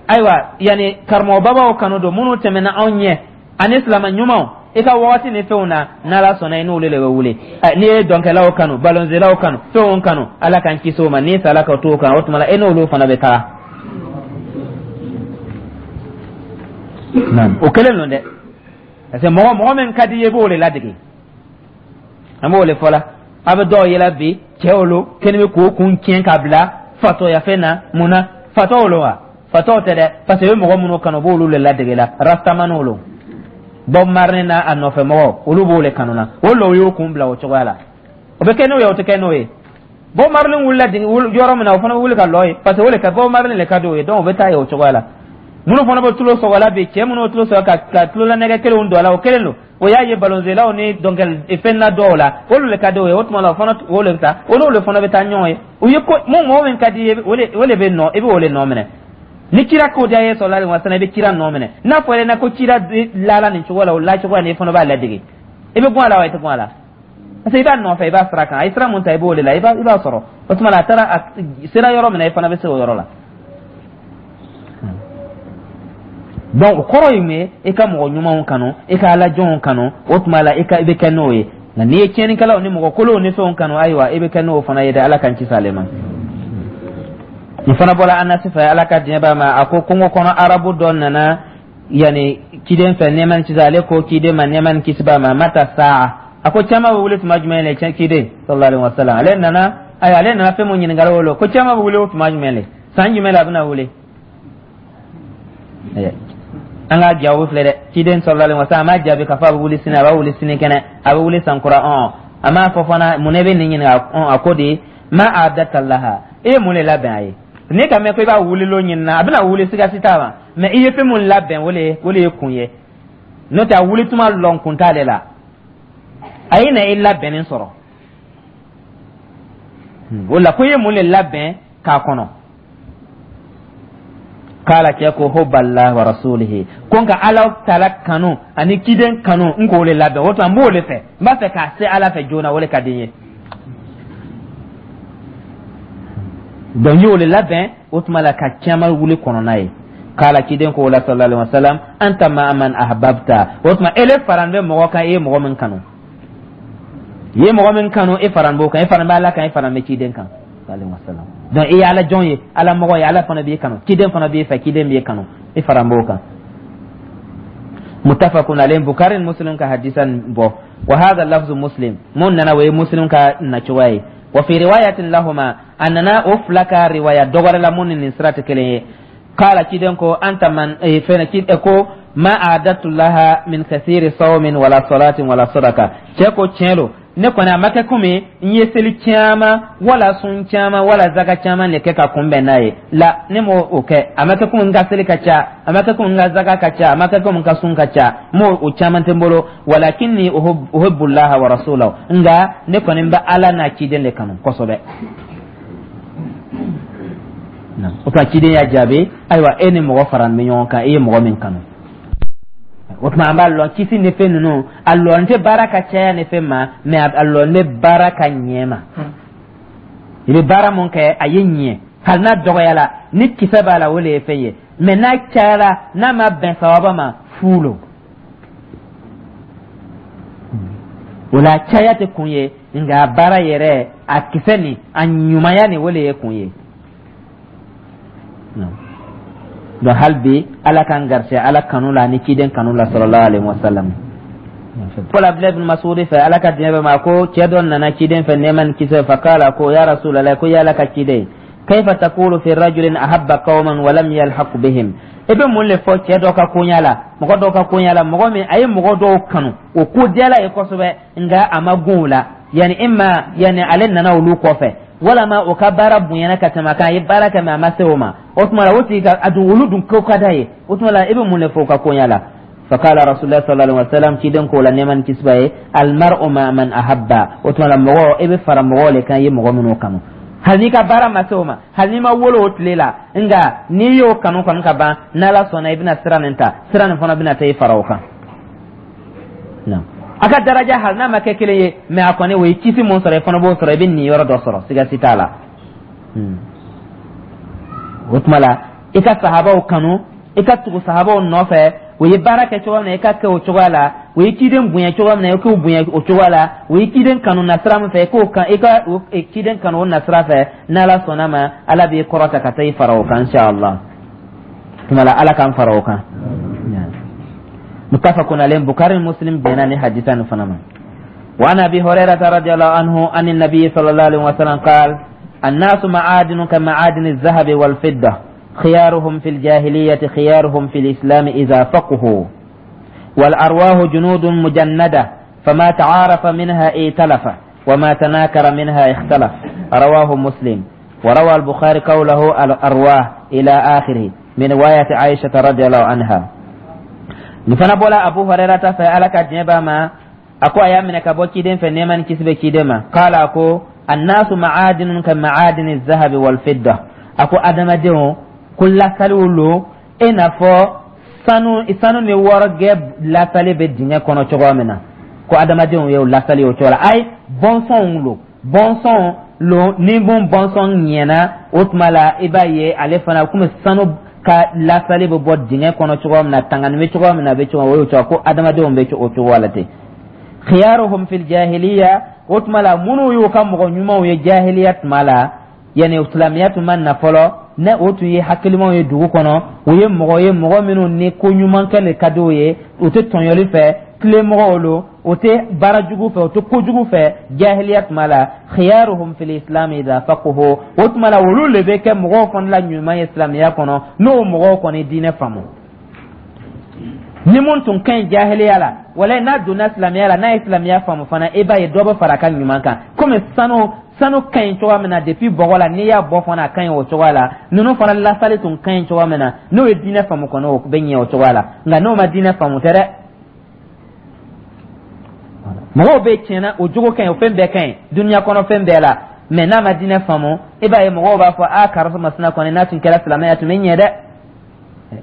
Ayiwa, yani karamɔgɔbabaw kanu don minnu tɛmɛna anw ɲɛ ani silama ɲumanw i ka wagati ni fɛnw na, n'Ala sɔnna, i n'olu de bɛ wuli. N'i ye dɔnkɛlaw kanu, balonzelaw kanu, fɛnw kanu, Ala k'an kisi o ma, n'i sala ka t'o kan, o tuma la e n'olu fana bɛ taga. O kelen don dɛ, parce que mɔgɔ mɔgɔ min ka di i ye, i b'o de ladege. An b'o de fɔ la, a bɛ dɔw yela bi, cɛw lo kɛnɛ bɛ k'o kun tiɲɛ k'a bila fatɔya fɛn na. Mun na fatɔw lo wa? Fatɔw tɛ dɛ, parce que i bɛ mɔgɔ minnu kanu, u b'olu de ladege la. Rastamaniw lo, Bob Marley n'a a nɔfɛ mɔgɔw, olu b'o de kanu na. O lo y'o kun bila o cogoya la. O bɛ kɛ n'o ye, o tɛ kɛ n'o ye. Bob Marley wulila yɔrɔ min na, o fana bɛ wuli ka lɔ yen, parce que o de ka Bob Marley de ka di o ye. Donc o bɛ taa yen o cogoya la. Minnu fana bɛ tulo sɔgɔ la bi, cɛ minnu bɛ tulo sɔgɔ ka ka tulolanɛgɛ kelenw don a la, o kelen don. O y'a ye balonzelaw ni dɔnkɛli fɛn na dɔw la, olu de ka di o ye. O tuma la, o fana o de bɛ taa, o n'olu fana bɛ taa ɲɔgɔn ye. O ye ko mun, mɔgɔ min ka di i ye, o de o de bɛ nɔ, i bɛ o de nɔ minɛ. Ni kira ko diya ye, sallallahu alaihi wasallam, i bɛ kira nɔ minɛ. N'a fɔra i ɲɛna ko kira lala nin cogo la, o la cogoya nin, i fana b'a ladege. I bɛ bɔ a la wa, i tɛ bɔ a la? Parce que i b'a nɔfɛ, i b'a sira kan, a ye sira mun ta, i b'o de la, i b'a i b'a sɔrɔ. O tuma la, a taara, a sera yɔrɔ min na, i fana bɛ se o yɔrɔ la. Donc o kɔrɔ ye mun ye? I ka mɔgɔ ɲumanw kanu, i ka ala jɔnw kanu, o tuma la i ka i bɛ kɛ n'o ye. Nka n'i ye tiɲɛnikɛlaw ni mɔgɔ kolonw ni fɛnw kanu, ayiwa, i bɛ kɛ n'o fana ye dɛ. Ala k'an kisi ale ma. Nin fana bɔra Anasi fɛ, Ala ka diɲɛ b'a ma, a ko kungo kɔnɔ arabu dɔ nana yani ciden fɛ, nɛɛma ni kisi. Ale ko ciden ma, nɛɛma ni kisi b'a ma: mata saa? A ko cama bɛ wuli tuma jumɛn le? Ciden sallallahu alaihi wasallam, ale nana, ayiwa, ale nana fɛn mun ɲininkali o lo, ko cama bɛ wuli tuma jumɛn le, san jumɛn la a bɛna wuli? An ka jaabi filɛ dɛ. Ciden sallallahu alaihi wasallam a m'a jaabi k'a fɔ a bɛ wuli sini, a b'a wuli sini kɛnɛ, a bɛ wuli san kura. Ɔn, a m'a fɔ fana mun ne bɛ nin ɲininka. Ɔn, a ko de: ma a'dadta laha? I ye mun de labɛn a ye? Ne ka mɛn ko i b'a wuli lo ɲinina, a bɛna wuli, siga si t'a ma, mɛ i ye fɛn mun labɛn, o le o le ye kun ye. N'o tɛ, a wuli tuma lɔn kun t'ale la. A ye na i labɛnnen sɔrɔ o la, ko i ye mun de labɛn k'a kɔnɔ? K'ala cɛ ko hubballah wa rasulihi, ko nka Ala taala kanu ani ciden kanu, n k'o de labɛn. O tuma n b'o de fɛ, n b'a fɛ k'a se Ala fɛ joona, o de ka di n ye. Donc n y'o de labɛn, o tuma la ka caman wuli kɔnɔna ye. K'ala ciden ko o la, sallallahu alaihi wasallam: anta ma'a man ahbabta. O tuma ele faran bɛ mɔgɔ kan, i ye mɔgɔ min kanu, i ye mɔgɔ min kanu, e faran b'o kan, e faran bɛ Ala kan, e faran bɛ ciden kan, sallallahu alaihi wasallam. Donc i ye Ala jɔn ye, Ala mɔgɔ ye, Ala fana b'i kanu, ciden fana b'i fɛ, ciden b'i kanu, i faran b'o kan. Muttafaqun alayhi, Bukhari ni Muslim ka hadisa bɔ. Wa hadha lafzu Muslim, mun nana, o ye Muslim ka nacogoya ye. Wa fi riwayatin lahuma, a nana o fila ka riwaya dɔ wɛrɛ la mun ni nin sira tɛ kelen ye. Kala ciden ko anta man fɛn ci ko ma a'dadtu laha min kathiri sawmin wala salatin wala sadaka. Cɛ ko tiɲɛ lo, ne kɔni a ma kɛ komi n ye seli caman wala sun caman wala zaka caman de kɛ ka kunbɛn n'a ye la. Ne m'o o kɛ. A ma kɛ komi n ka seli ka ca, a ma kɛ komi n ka zaka ka ca, a ma kɛ komi n ka sun ka ca, n m'o o caman tɛ n bolo. Walakinni uhibbullaha wa rasulahu, nka ne kɔni bɛ Ala n'a ciden de kanu kosɛbɛ. O tuma ciden y'a jaabi: ayiwa, e ni mɔgɔ fara bɛ ɲɔgɔn kan, i ye mɔgɔ min kanu. O tuma an b'a lɔn kisi ni fɛn ninnu, a lɔn tɛ baara ka caya ni fɛn ma, mɛ a lɔn bɛ baara ka ɲɛ ma. I bɛ baara mun kɛ, a ye ɲɛ, hali n'a dɔgɔyala, ni kisɛ b'a la, o de ye fɛn ye. Mɛ n'a cayara, n'a ma bɛn sawaba ma, fu lo. O la caya tɛ kun ye, nka baara yɛrɛ a kisɛ ni a ɲumanya ni, o de ye kun ye. Donc hali bi, Ala k'an garisɛ Ala kanu la ani ciden kanu la, sallallahu alaihi wasallam. Fɔlɔ, Abdulayi bin Masudi fɛ, Ala ka diɲɛ bɛ ma, ko cɛ dɔ nana ciden fɛ, nɛɛma ni kisɛ. Fakala ko ya Rasulallah, ko ya Ala ka ciden, kayfa taqulu fi rajulin ahabba qauman wa lam yalhaq bihim? I bɛ mun le fɔ cɛ dɔ ka koɲa la, mɔgɔ dɔ ka koɲa la, mɔgɔ min a ye mɔgɔ dɔw kanu, o ko diyala ye kosɛbɛ, nka a ma gun o la? Yani imma yani ale nana olu kɔfɛ, walama o ka baara bonyana ka tɛmɛ a kan, a ye baara kɛ mɛ a ma se o ma. O tuma la, o tigi ka a dun, olu dun ko ka d'a ye. O tuma la, i bɛ mun de fɔ o ka koɲa la? Fakala Rasulullah sallallahu alaihi wasallam, ciden ko la, nɛɛma ni kisi b'a ye: almar'u ma man ahabba. O tuma la, mɔgɔ, i bɛ fara mɔgɔw le kan i ye mɔgɔ minnu kanu, hali n'i ka baara ma se o ma, hali n'i ma wolo o tile la, nka n'i y'o kanu kɔni ka ban, n'Ala sɔnna, i bɛna sira nin ta, sira nin fana bɛna taa i fara o kan. A ka daraja, hali n'a ma kɛ kelen ye, mɛ a kɔni o ye kisi mun sɔrɔ, i fana b'o sɔrɔ, i bɛ nin yɔrɔ dɔ sɔrɔ, siga si t'a la. O tuma la, I ka sahabaw kanu, i ka tugu sahabaw nɔfɛ. U ye baara kɛ cogo min na, i ka kɛ o cogoya la. U ye ciden bonya cogo min na, i k'u bonya o cogoya la. U ye ciden kanu nasira min fɛ, i k'o kan, i ka ciden kanu o nasira fɛ. N'Ala sɔnna ma, Ala b'i kɔrɔta ka taa i fara o kan, inshallah. Tuma la, Ala k'an fara o kan. Muttafaqun alayhi, Bukhari, Muslim bɛnna ni hadisa nin fana ma. وعن ابي هريره رضي الله عنه عن النبي صلى الله عليه وسلم قال: الناس معادن كمعادن الذهب والفضه، خيارهم في الجاهلية خيارهم في الإسلام إذا فقهوا، والأرواح جنود مجندة، فما تعارف منها ائتلف، وما تناكر منها اختلف. رواه مسلم. وروى البخاري قوله الأرواح إلى آخره من رواية عائشة رضي الله عنها. Nin fana bɔla Abu Hurairata fɛ, Ala ka diɲɛ b'a ma, a ko a y'a minɛ ka bɔ ciden fɛ, nɛɛma ni kisi bɛ ciden ma. Kala a ko: annasu ma'adinun ka ma'adini zahabi wal fidda. A ko adamadenw ko lasaliw lo i n'a fɔ sanu sanu ni wɔrɔgɛ lasali bɛ dingɛ kɔnɔ cogoya min na, ko adamadenw ye o lasali o cogo la. Ayi, bɔnsɔnw lo, bɔnsɔn lo. Ni mun bɔnsɔn ɲɛna, o tuma la i b'a ye ale fana komi sanu ka lasali bɛ bɔ dingɛ kɔnɔ cogoya min na, tangani bɛ cogoya min na, a bɛ cogo o y'o cogo, ko adamadenw bɛ o cogo la ten. Khiyaruhum fil jahiliya, o tuma la minnu y'u ka mɔgɔ ɲumanw ye jahiliya tuma la, yani silamɛya tun ma na fɔlɔ, ne o tun ye hakilimaw ye dugu kɔnɔ, u ye mɔgɔ ye, mɔgɔ minnu ni ko ɲuman kɛ le ka d'u ye, u tɛ tɔɲɔli fɛ, tilemɔgɔw lo, u tɛ baara jugu fɛ, u tɛ kojugu fɛ jahiliya tuma la. Khiyaruhum fil islam idha faquhu, o tuma la olu le bɛ kɛ mɔgɔw fana la ɲuman ye silamɛya kɔnɔ, n'o mɔgɔw kɔni diinɛ faamu. Ni mun tun ka ɲi jahiliya la, wala n'a donna silamɛya la, n'a ye silamɛya faamu fana, i b'a ye dɔ bɛ fara a ka ɲuman kan. Komi sanu sanu ka ɲi cogoya min na depuis bɔgɔ la, n'i y'a bɔ fana a ka ɲi o cogoya la, ninnu fana lasali tun ka ɲi cogoya min na, n'o ye diinɛ faamu kɔni, o bɛ ɲɛ o cogoya la. Nka n'o ma diinɛ faamu tɛ dɛ. Mɔgɔw bɛ tiɲɛna, o jogo ka ɲi, o fɛn bɛɛ ka ɲi dunuya kɔnɔ, fɛn bɛɛ la, mɛ n'a ma diinɛ faamu, i b'a ye mɔgɔw b'a fɔ: a karisa masina kɔni, n'a tun kɛra silamɛya tun bɛ ɲɛ dɛ.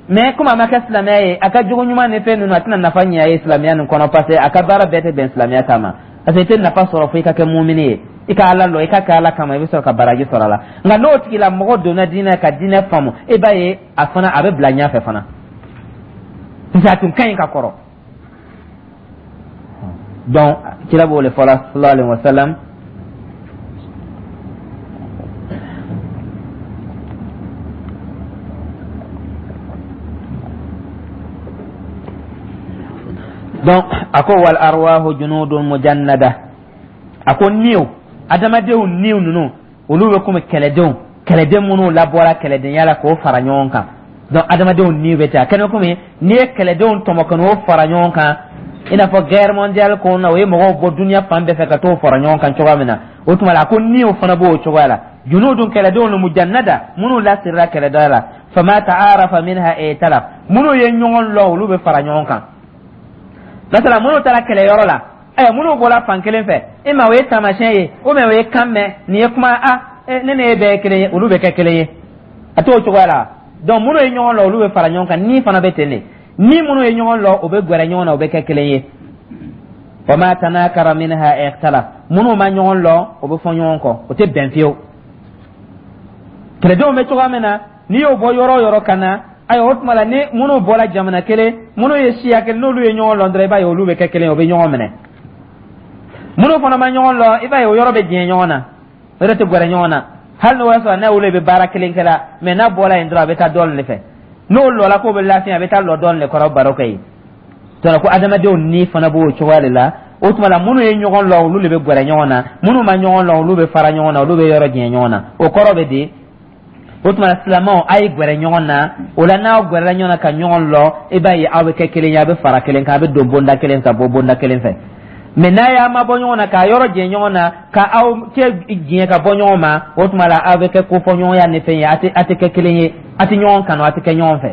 Mɛ komi a ma kɛ silamɛya ye, a ka jogo ɲuman ni fɛn ninnu, a tɛna nafa ɲɛ a ye silamɛya nin kɔnɔ, parce que a ka baara bɛɛ tɛ bɛn silamɛya ta ma. Parce que i tɛ nafa sɔrɔ fo i ka kɛ mumini ye, i ka Ala lɔ, i ka kɛ Ala kama, i bɛ sɔrɔ ka baraji sɔrɔ a la. Nka n'o tigilamɔgɔ donna diinɛ ka diinɛ faamu, i b'a ye a fana a bɛ bila ɲɛfɛ fana, parce que a tun ka ɲi ka kɔrɔ. Donc kira b'o le fɔla, sallallahu alaihi wa sallam. Donc a ko: wal arwahu junudun mujannada. A ko niw, adamadenw niw ninnu, olu bɛ komi kɛlɛdenw, kɛlɛden minnu labɔra kɛlɛdenya la k'o fara ɲɔgɔn kan. Donc adamadenw niw bɛ ten, a kɛlen komi n'i ye kɛlɛdenw tɔmɔ ka n'o fara ɲɔgɔn kan, i n'a fɔ guerre mondiale kɔnɔ, o ye mɔgɔw bɔ duniya fan bɛɛ fɛ ka t'o fara ɲɔgɔn kan cogoya min na, o tuma la a ko niw fana b'o cogoya la. Junudun, kɛlɛdenw, mujannada, minnu lasirila kɛlɛda la. Fama ta'arafa minha i'talaf, minnu ye ɲɔgɔn lɔ, olu bɛ fara ɲɔgɔn kan. Masala minnu taara kɛlɛyɔrɔ la, ɛ minnu bɔra fan kelen fɛ, e ma o ye taamasiyɛn ye, o mɛ o ye kan mɛn nin ye kuma, a ne ne ye bɛɛ ye kelen ye, olu bɛ kɛ kelen ye, a t'o cogoya la. Donc minnu ye ɲɔgɔn lɔ, olu bɛ fara ɲɔgɔn kan. Ni fana bɛ ten de, ni minnu ye ɲɔgɔn lɔ, o bɛ gɛrɛ ɲɔgɔn na, o bɛ kɛ kelen ye. Wa ma tanakara minha ikhtalaf, minnu ma ɲɔgɔn lɔ, o bɛ fɔ ɲɔgɔn kɔ, o tɛ bɛn fiyewu. Kɛlɛdenw bɛ cogoya min na, n'i y'o bɔ yɔrɔ o yɔrɔ ka na, ayiwa, o tuma la ni minnu bɔra jamana kelen, minnu ye siya kelen, n'olu ye ɲɔgɔn lɔ dɔrɔn, i b'a ye olu bɛ kɛ kelen ye, o bɛ ɲɔgɔn minɛ. Minnu fana ma ɲɔgɔn lɔ, i b'a ye o yɔrɔ bɛ jɛn ɲɔgɔn na, o yɛrɛ tɛ gɛrɛ ɲɔgɔn na, hali n'o y'a sɔrɔ n'a olu bɛ baara kelen kɛ la. Mɛ n'a bɔra yen dɔrɔn, a bɛ taa dɔɔnin de fɛ. N'o lɔla k'o bɛ lafiya, a bɛ taa lɔ dɔɔnin de kɔrɔ, baro kɛ yen. Donc ko adamadenw ni fana b'o cogoya de la. O tuma la minnu ye ɲɔgɔn lɔ, olu de bɛ gɛrɛ ɲɔgɔn na. Minnu ma ɲɔgɔn lɔ, olu bɛ fara ɲɔgɔn na, olu bɛ yɔrɔ jɛn ɲɔgɔn na. O kɔrɔ bɛ di? O tuma silamɛw, a ye gɛrɛ ɲɔgɔn na. O la n'aw gɛrɛla ɲɔgɔn na ka ɲɔgɔn lɔ, i b'a ye aw bɛ kɛ kelen ye, a bɛ fara kelen kan, a bɛ don bonda kelen ka bɔ bonda kelen fɛ. Mɛ n'a y'a mabɔ ɲɔgɔn na, k'a yɔrɔ jɛ ɲɔgɔn na, ka aw cɛ diɲɛ ka bɔ ɲɔgɔn ma, o tuma la aw bɛ kɛ kofɔɲɔgɔnya ni fɛn ye, a tɛ a tɛ kɛ kelen ye, a tɛ ɲɔgɔn kanu, a tɛ kɛ ɲɔgɔn fɛ.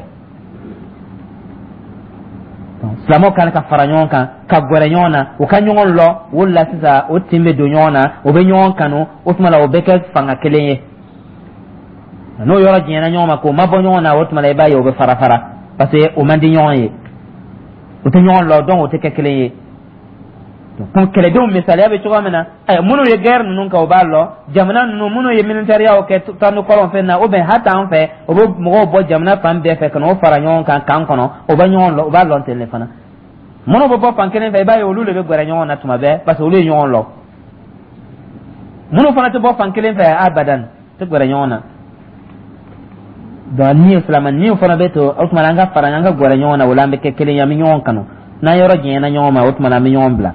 Silamɛw kan ka fara ɲɔgɔn kan, ka gɛrɛ ɲɔgɔn na, u ka ɲɔgɔn lɔ. O la sisan o tin bɛ don ɲɔgɔn na, o bɛ ɲɔgɔn kanu, o tuma la o bɛ kɛ fanga kelen ye. N'o yɔrɔ jɛnna ɲɔgɔn ma k'o ma bɔ ɲɔgɔn na, o tuma la i b'a ye o bɛ fara fara, parce que o man di ɲɔgɔn ye, o tɛ ɲɔgɔn lɔ, donc o tɛ kɛ kelen ye. Kun kɛlɛdenw misaliya bɛ cogoya min na, ayiwa, minnu ye guerre ninnu kɛ, o b'a lɔn. Jamana ninnu minnu ye militaires kɛ tanu kɔrɔn fɛn na, ou bien hali an fɛ, o bɛ mɔgɔw bɔ jamana fan bɛɛ fɛ ka n'o fara ɲɔgɔn kan camp kɔnɔ, o bɛ ɲɔgɔn lɔn, o b'a lɔn ten de fana. Minnu bɛ bɔ fan kelen fɛ, i b'a ye olu de bɛ gɛrɛ ɲɔgɔn na tuma bɛɛ, parce que olu ye ɲɔgɔn lɔn. Minnu fana tɛ bɔ fan kelen fɛ, abadan tɛ gɛrɛ ɲɔgɔn na. Donc ni silamɛ ni fana bɛ to, o tuma an ka fara, an ka gɛrɛ ɲɔgɔn na, o la an bɛ kɛ kelen ye, an bɛ ɲɔgɔn kanu. N'an yɔrɔ janyana ɲɔgɔn ma, o tuma an bɛ ɲɔgɔn bila.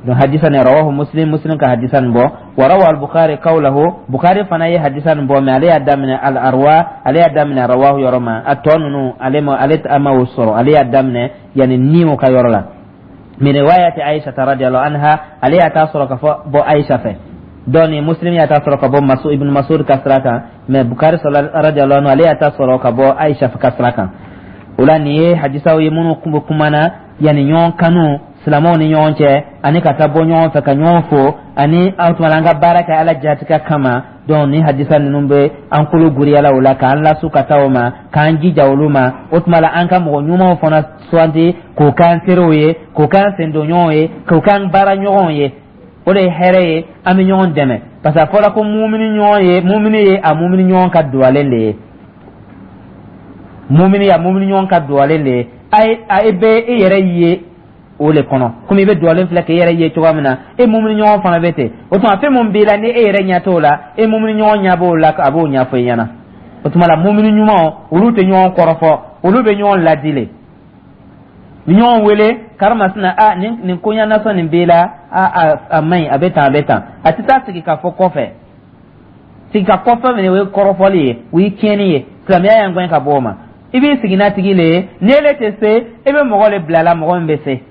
Donc hadisa ni rawahu Muslim, Muslim ka hadisa nin bɔ. Wa rawa al-Bukhari qawlahu, Bukhari fana ye hadisa nin bɔ, mais ale y'a daminɛ al arwa, ale y'a daminɛ rawahu yɔrɔ ma. A tɔ ninnu, ale ma, ale ma o sɔrɔ. Ale y'a daminɛ yani niw ka yɔrɔ la, min riwayati Aisha radiyallahu anha, ale y'a ta sɔrɔ ka fɔ bɔ Aisha fɛ. Donc ni Muslim y'a ta sɔrɔ ka bɔ Masu ibn Masud ka sira kan, mais Bukhari radiyallahu anhu, ale y'a ta sɔrɔ ka bɔ Aisha ka sira kan. O la nin ye hadisaw ye minnu kun bɛ kumana yanni ɲɔgɔn kanu silamɛw ni ɲɔgɔn cɛ, ani ka taa bɔ ɲɔgɔn fɛ ka ɲɔgɔn fo, ani an tuma an ka baara kɛ Ala jatigɛ kama. Donc ni hadisa ninnu bɛ an kolo guriyala o la, k'an lasu ka taa o ma, k'an jija olu ma. O tuma la, an ka mɔgɔ ɲumanw fana suganti k'o k'an teriw ye, k'o k'an sendonɲɔgɔnw ye, k'o k'an baara ɲɔgɔnw ye. O de ye hɛrɛ ye, an bɛ ɲɔgɔn dɛmɛ, parce que a fɔra ko mumini ɲɔgɔn ye, mumini ye a mumini ɲɔgɔn ka duwalen de ye, mumini ye a mumini ɲɔgɔn ka duwalen de ye. A ye a bɛ e yɛrɛ ye o le kɔnɔ, komi i bɛ duwalen filɛ k'e yɛrɛ ye cogoya min na, e mumini ɲɔgɔn fana bɛ ten. O tuma fɛn mun b'i la ni e yɛrɛ ɲɛ t'o la, e mumini ɲɔgɔn ɲɛ b'o la, a b'o ɲɛfɔ i ɲɛna. O tuma la, mumini ɲumanw, olu tɛ ɲɔgɔn kɔrɔfɔ, olu bɛ ɲɔgɔn ladi le, ni ɲɔgɔn wele karimasina a nin nin koɲa nasɔn nin b'i la, a a a man ɲi, a bɛ tan, a bɛ tan. A tɛ taa sigi ka fɔ kɔfɛ, sigi ka kɔfɛ minɛ, o ye kɔrɔfɔli ye, o ye tiɲɛni ye. Silamɛya y'an gɛn ka bɔ o ma. I b'i sigi n'a tigi le ye. Ni ele tɛ se, e bɛ mɔgɔ le bila la, mɔgɔ min bɛ se.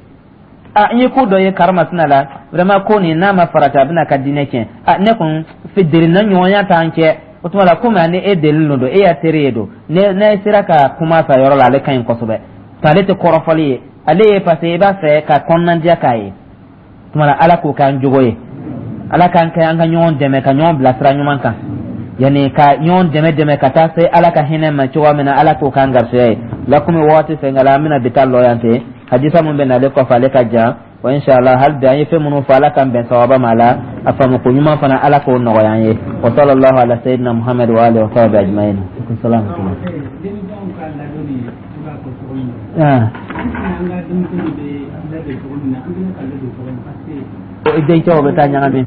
A n ye ko dɔ ye karimasina la, vraiment ko nin n'a ma farati, a bɛna ka diinɛ tiɲɛ. A ne kun delina ɲɔgɔnya t'an cɛ. O tuma la, komi ani e delilen don, e y'a teri ye don, ne ne sera ka kuma sa yɔrɔ la, ale ka ɲi kosɛbɛ. Ale tɛ kɔrɔfɔli ye, ale ye parce que i b'a fɛ ka kɔnɔnandiya k'a ye. Tuma la, Ala k'o k'an jogo ye, Ala k'an kɛ an ka ɲɔgɔn dɛmɛ, ka ɲɔgɔn bilasira ɲuman kan, yanni ka ɲɔgɔn dɛmɛ dɛmɛ ka taa se Ala ka hinɛ ma cogoya min na. Ala k'o k'an garisɛgɛ ye. La komi waati fɛn an bɛna bi taa lɔ yan ten. Hadisa mun bɛ nalen kɔfɛ, ale ka jan wa. Inshallah, hali bi an ye fɛn minnu fɔ, Ala k'an bɛn sawaba ma la, a faamu ko ɲuman fana, Ala k'o nɔgɔya an ye. Wa sallallahu ala sayyidina Muhammad wa alihi wa sahbihi ajma'in. Salam. Ah. Dencɛw bɛ taa ɲagami.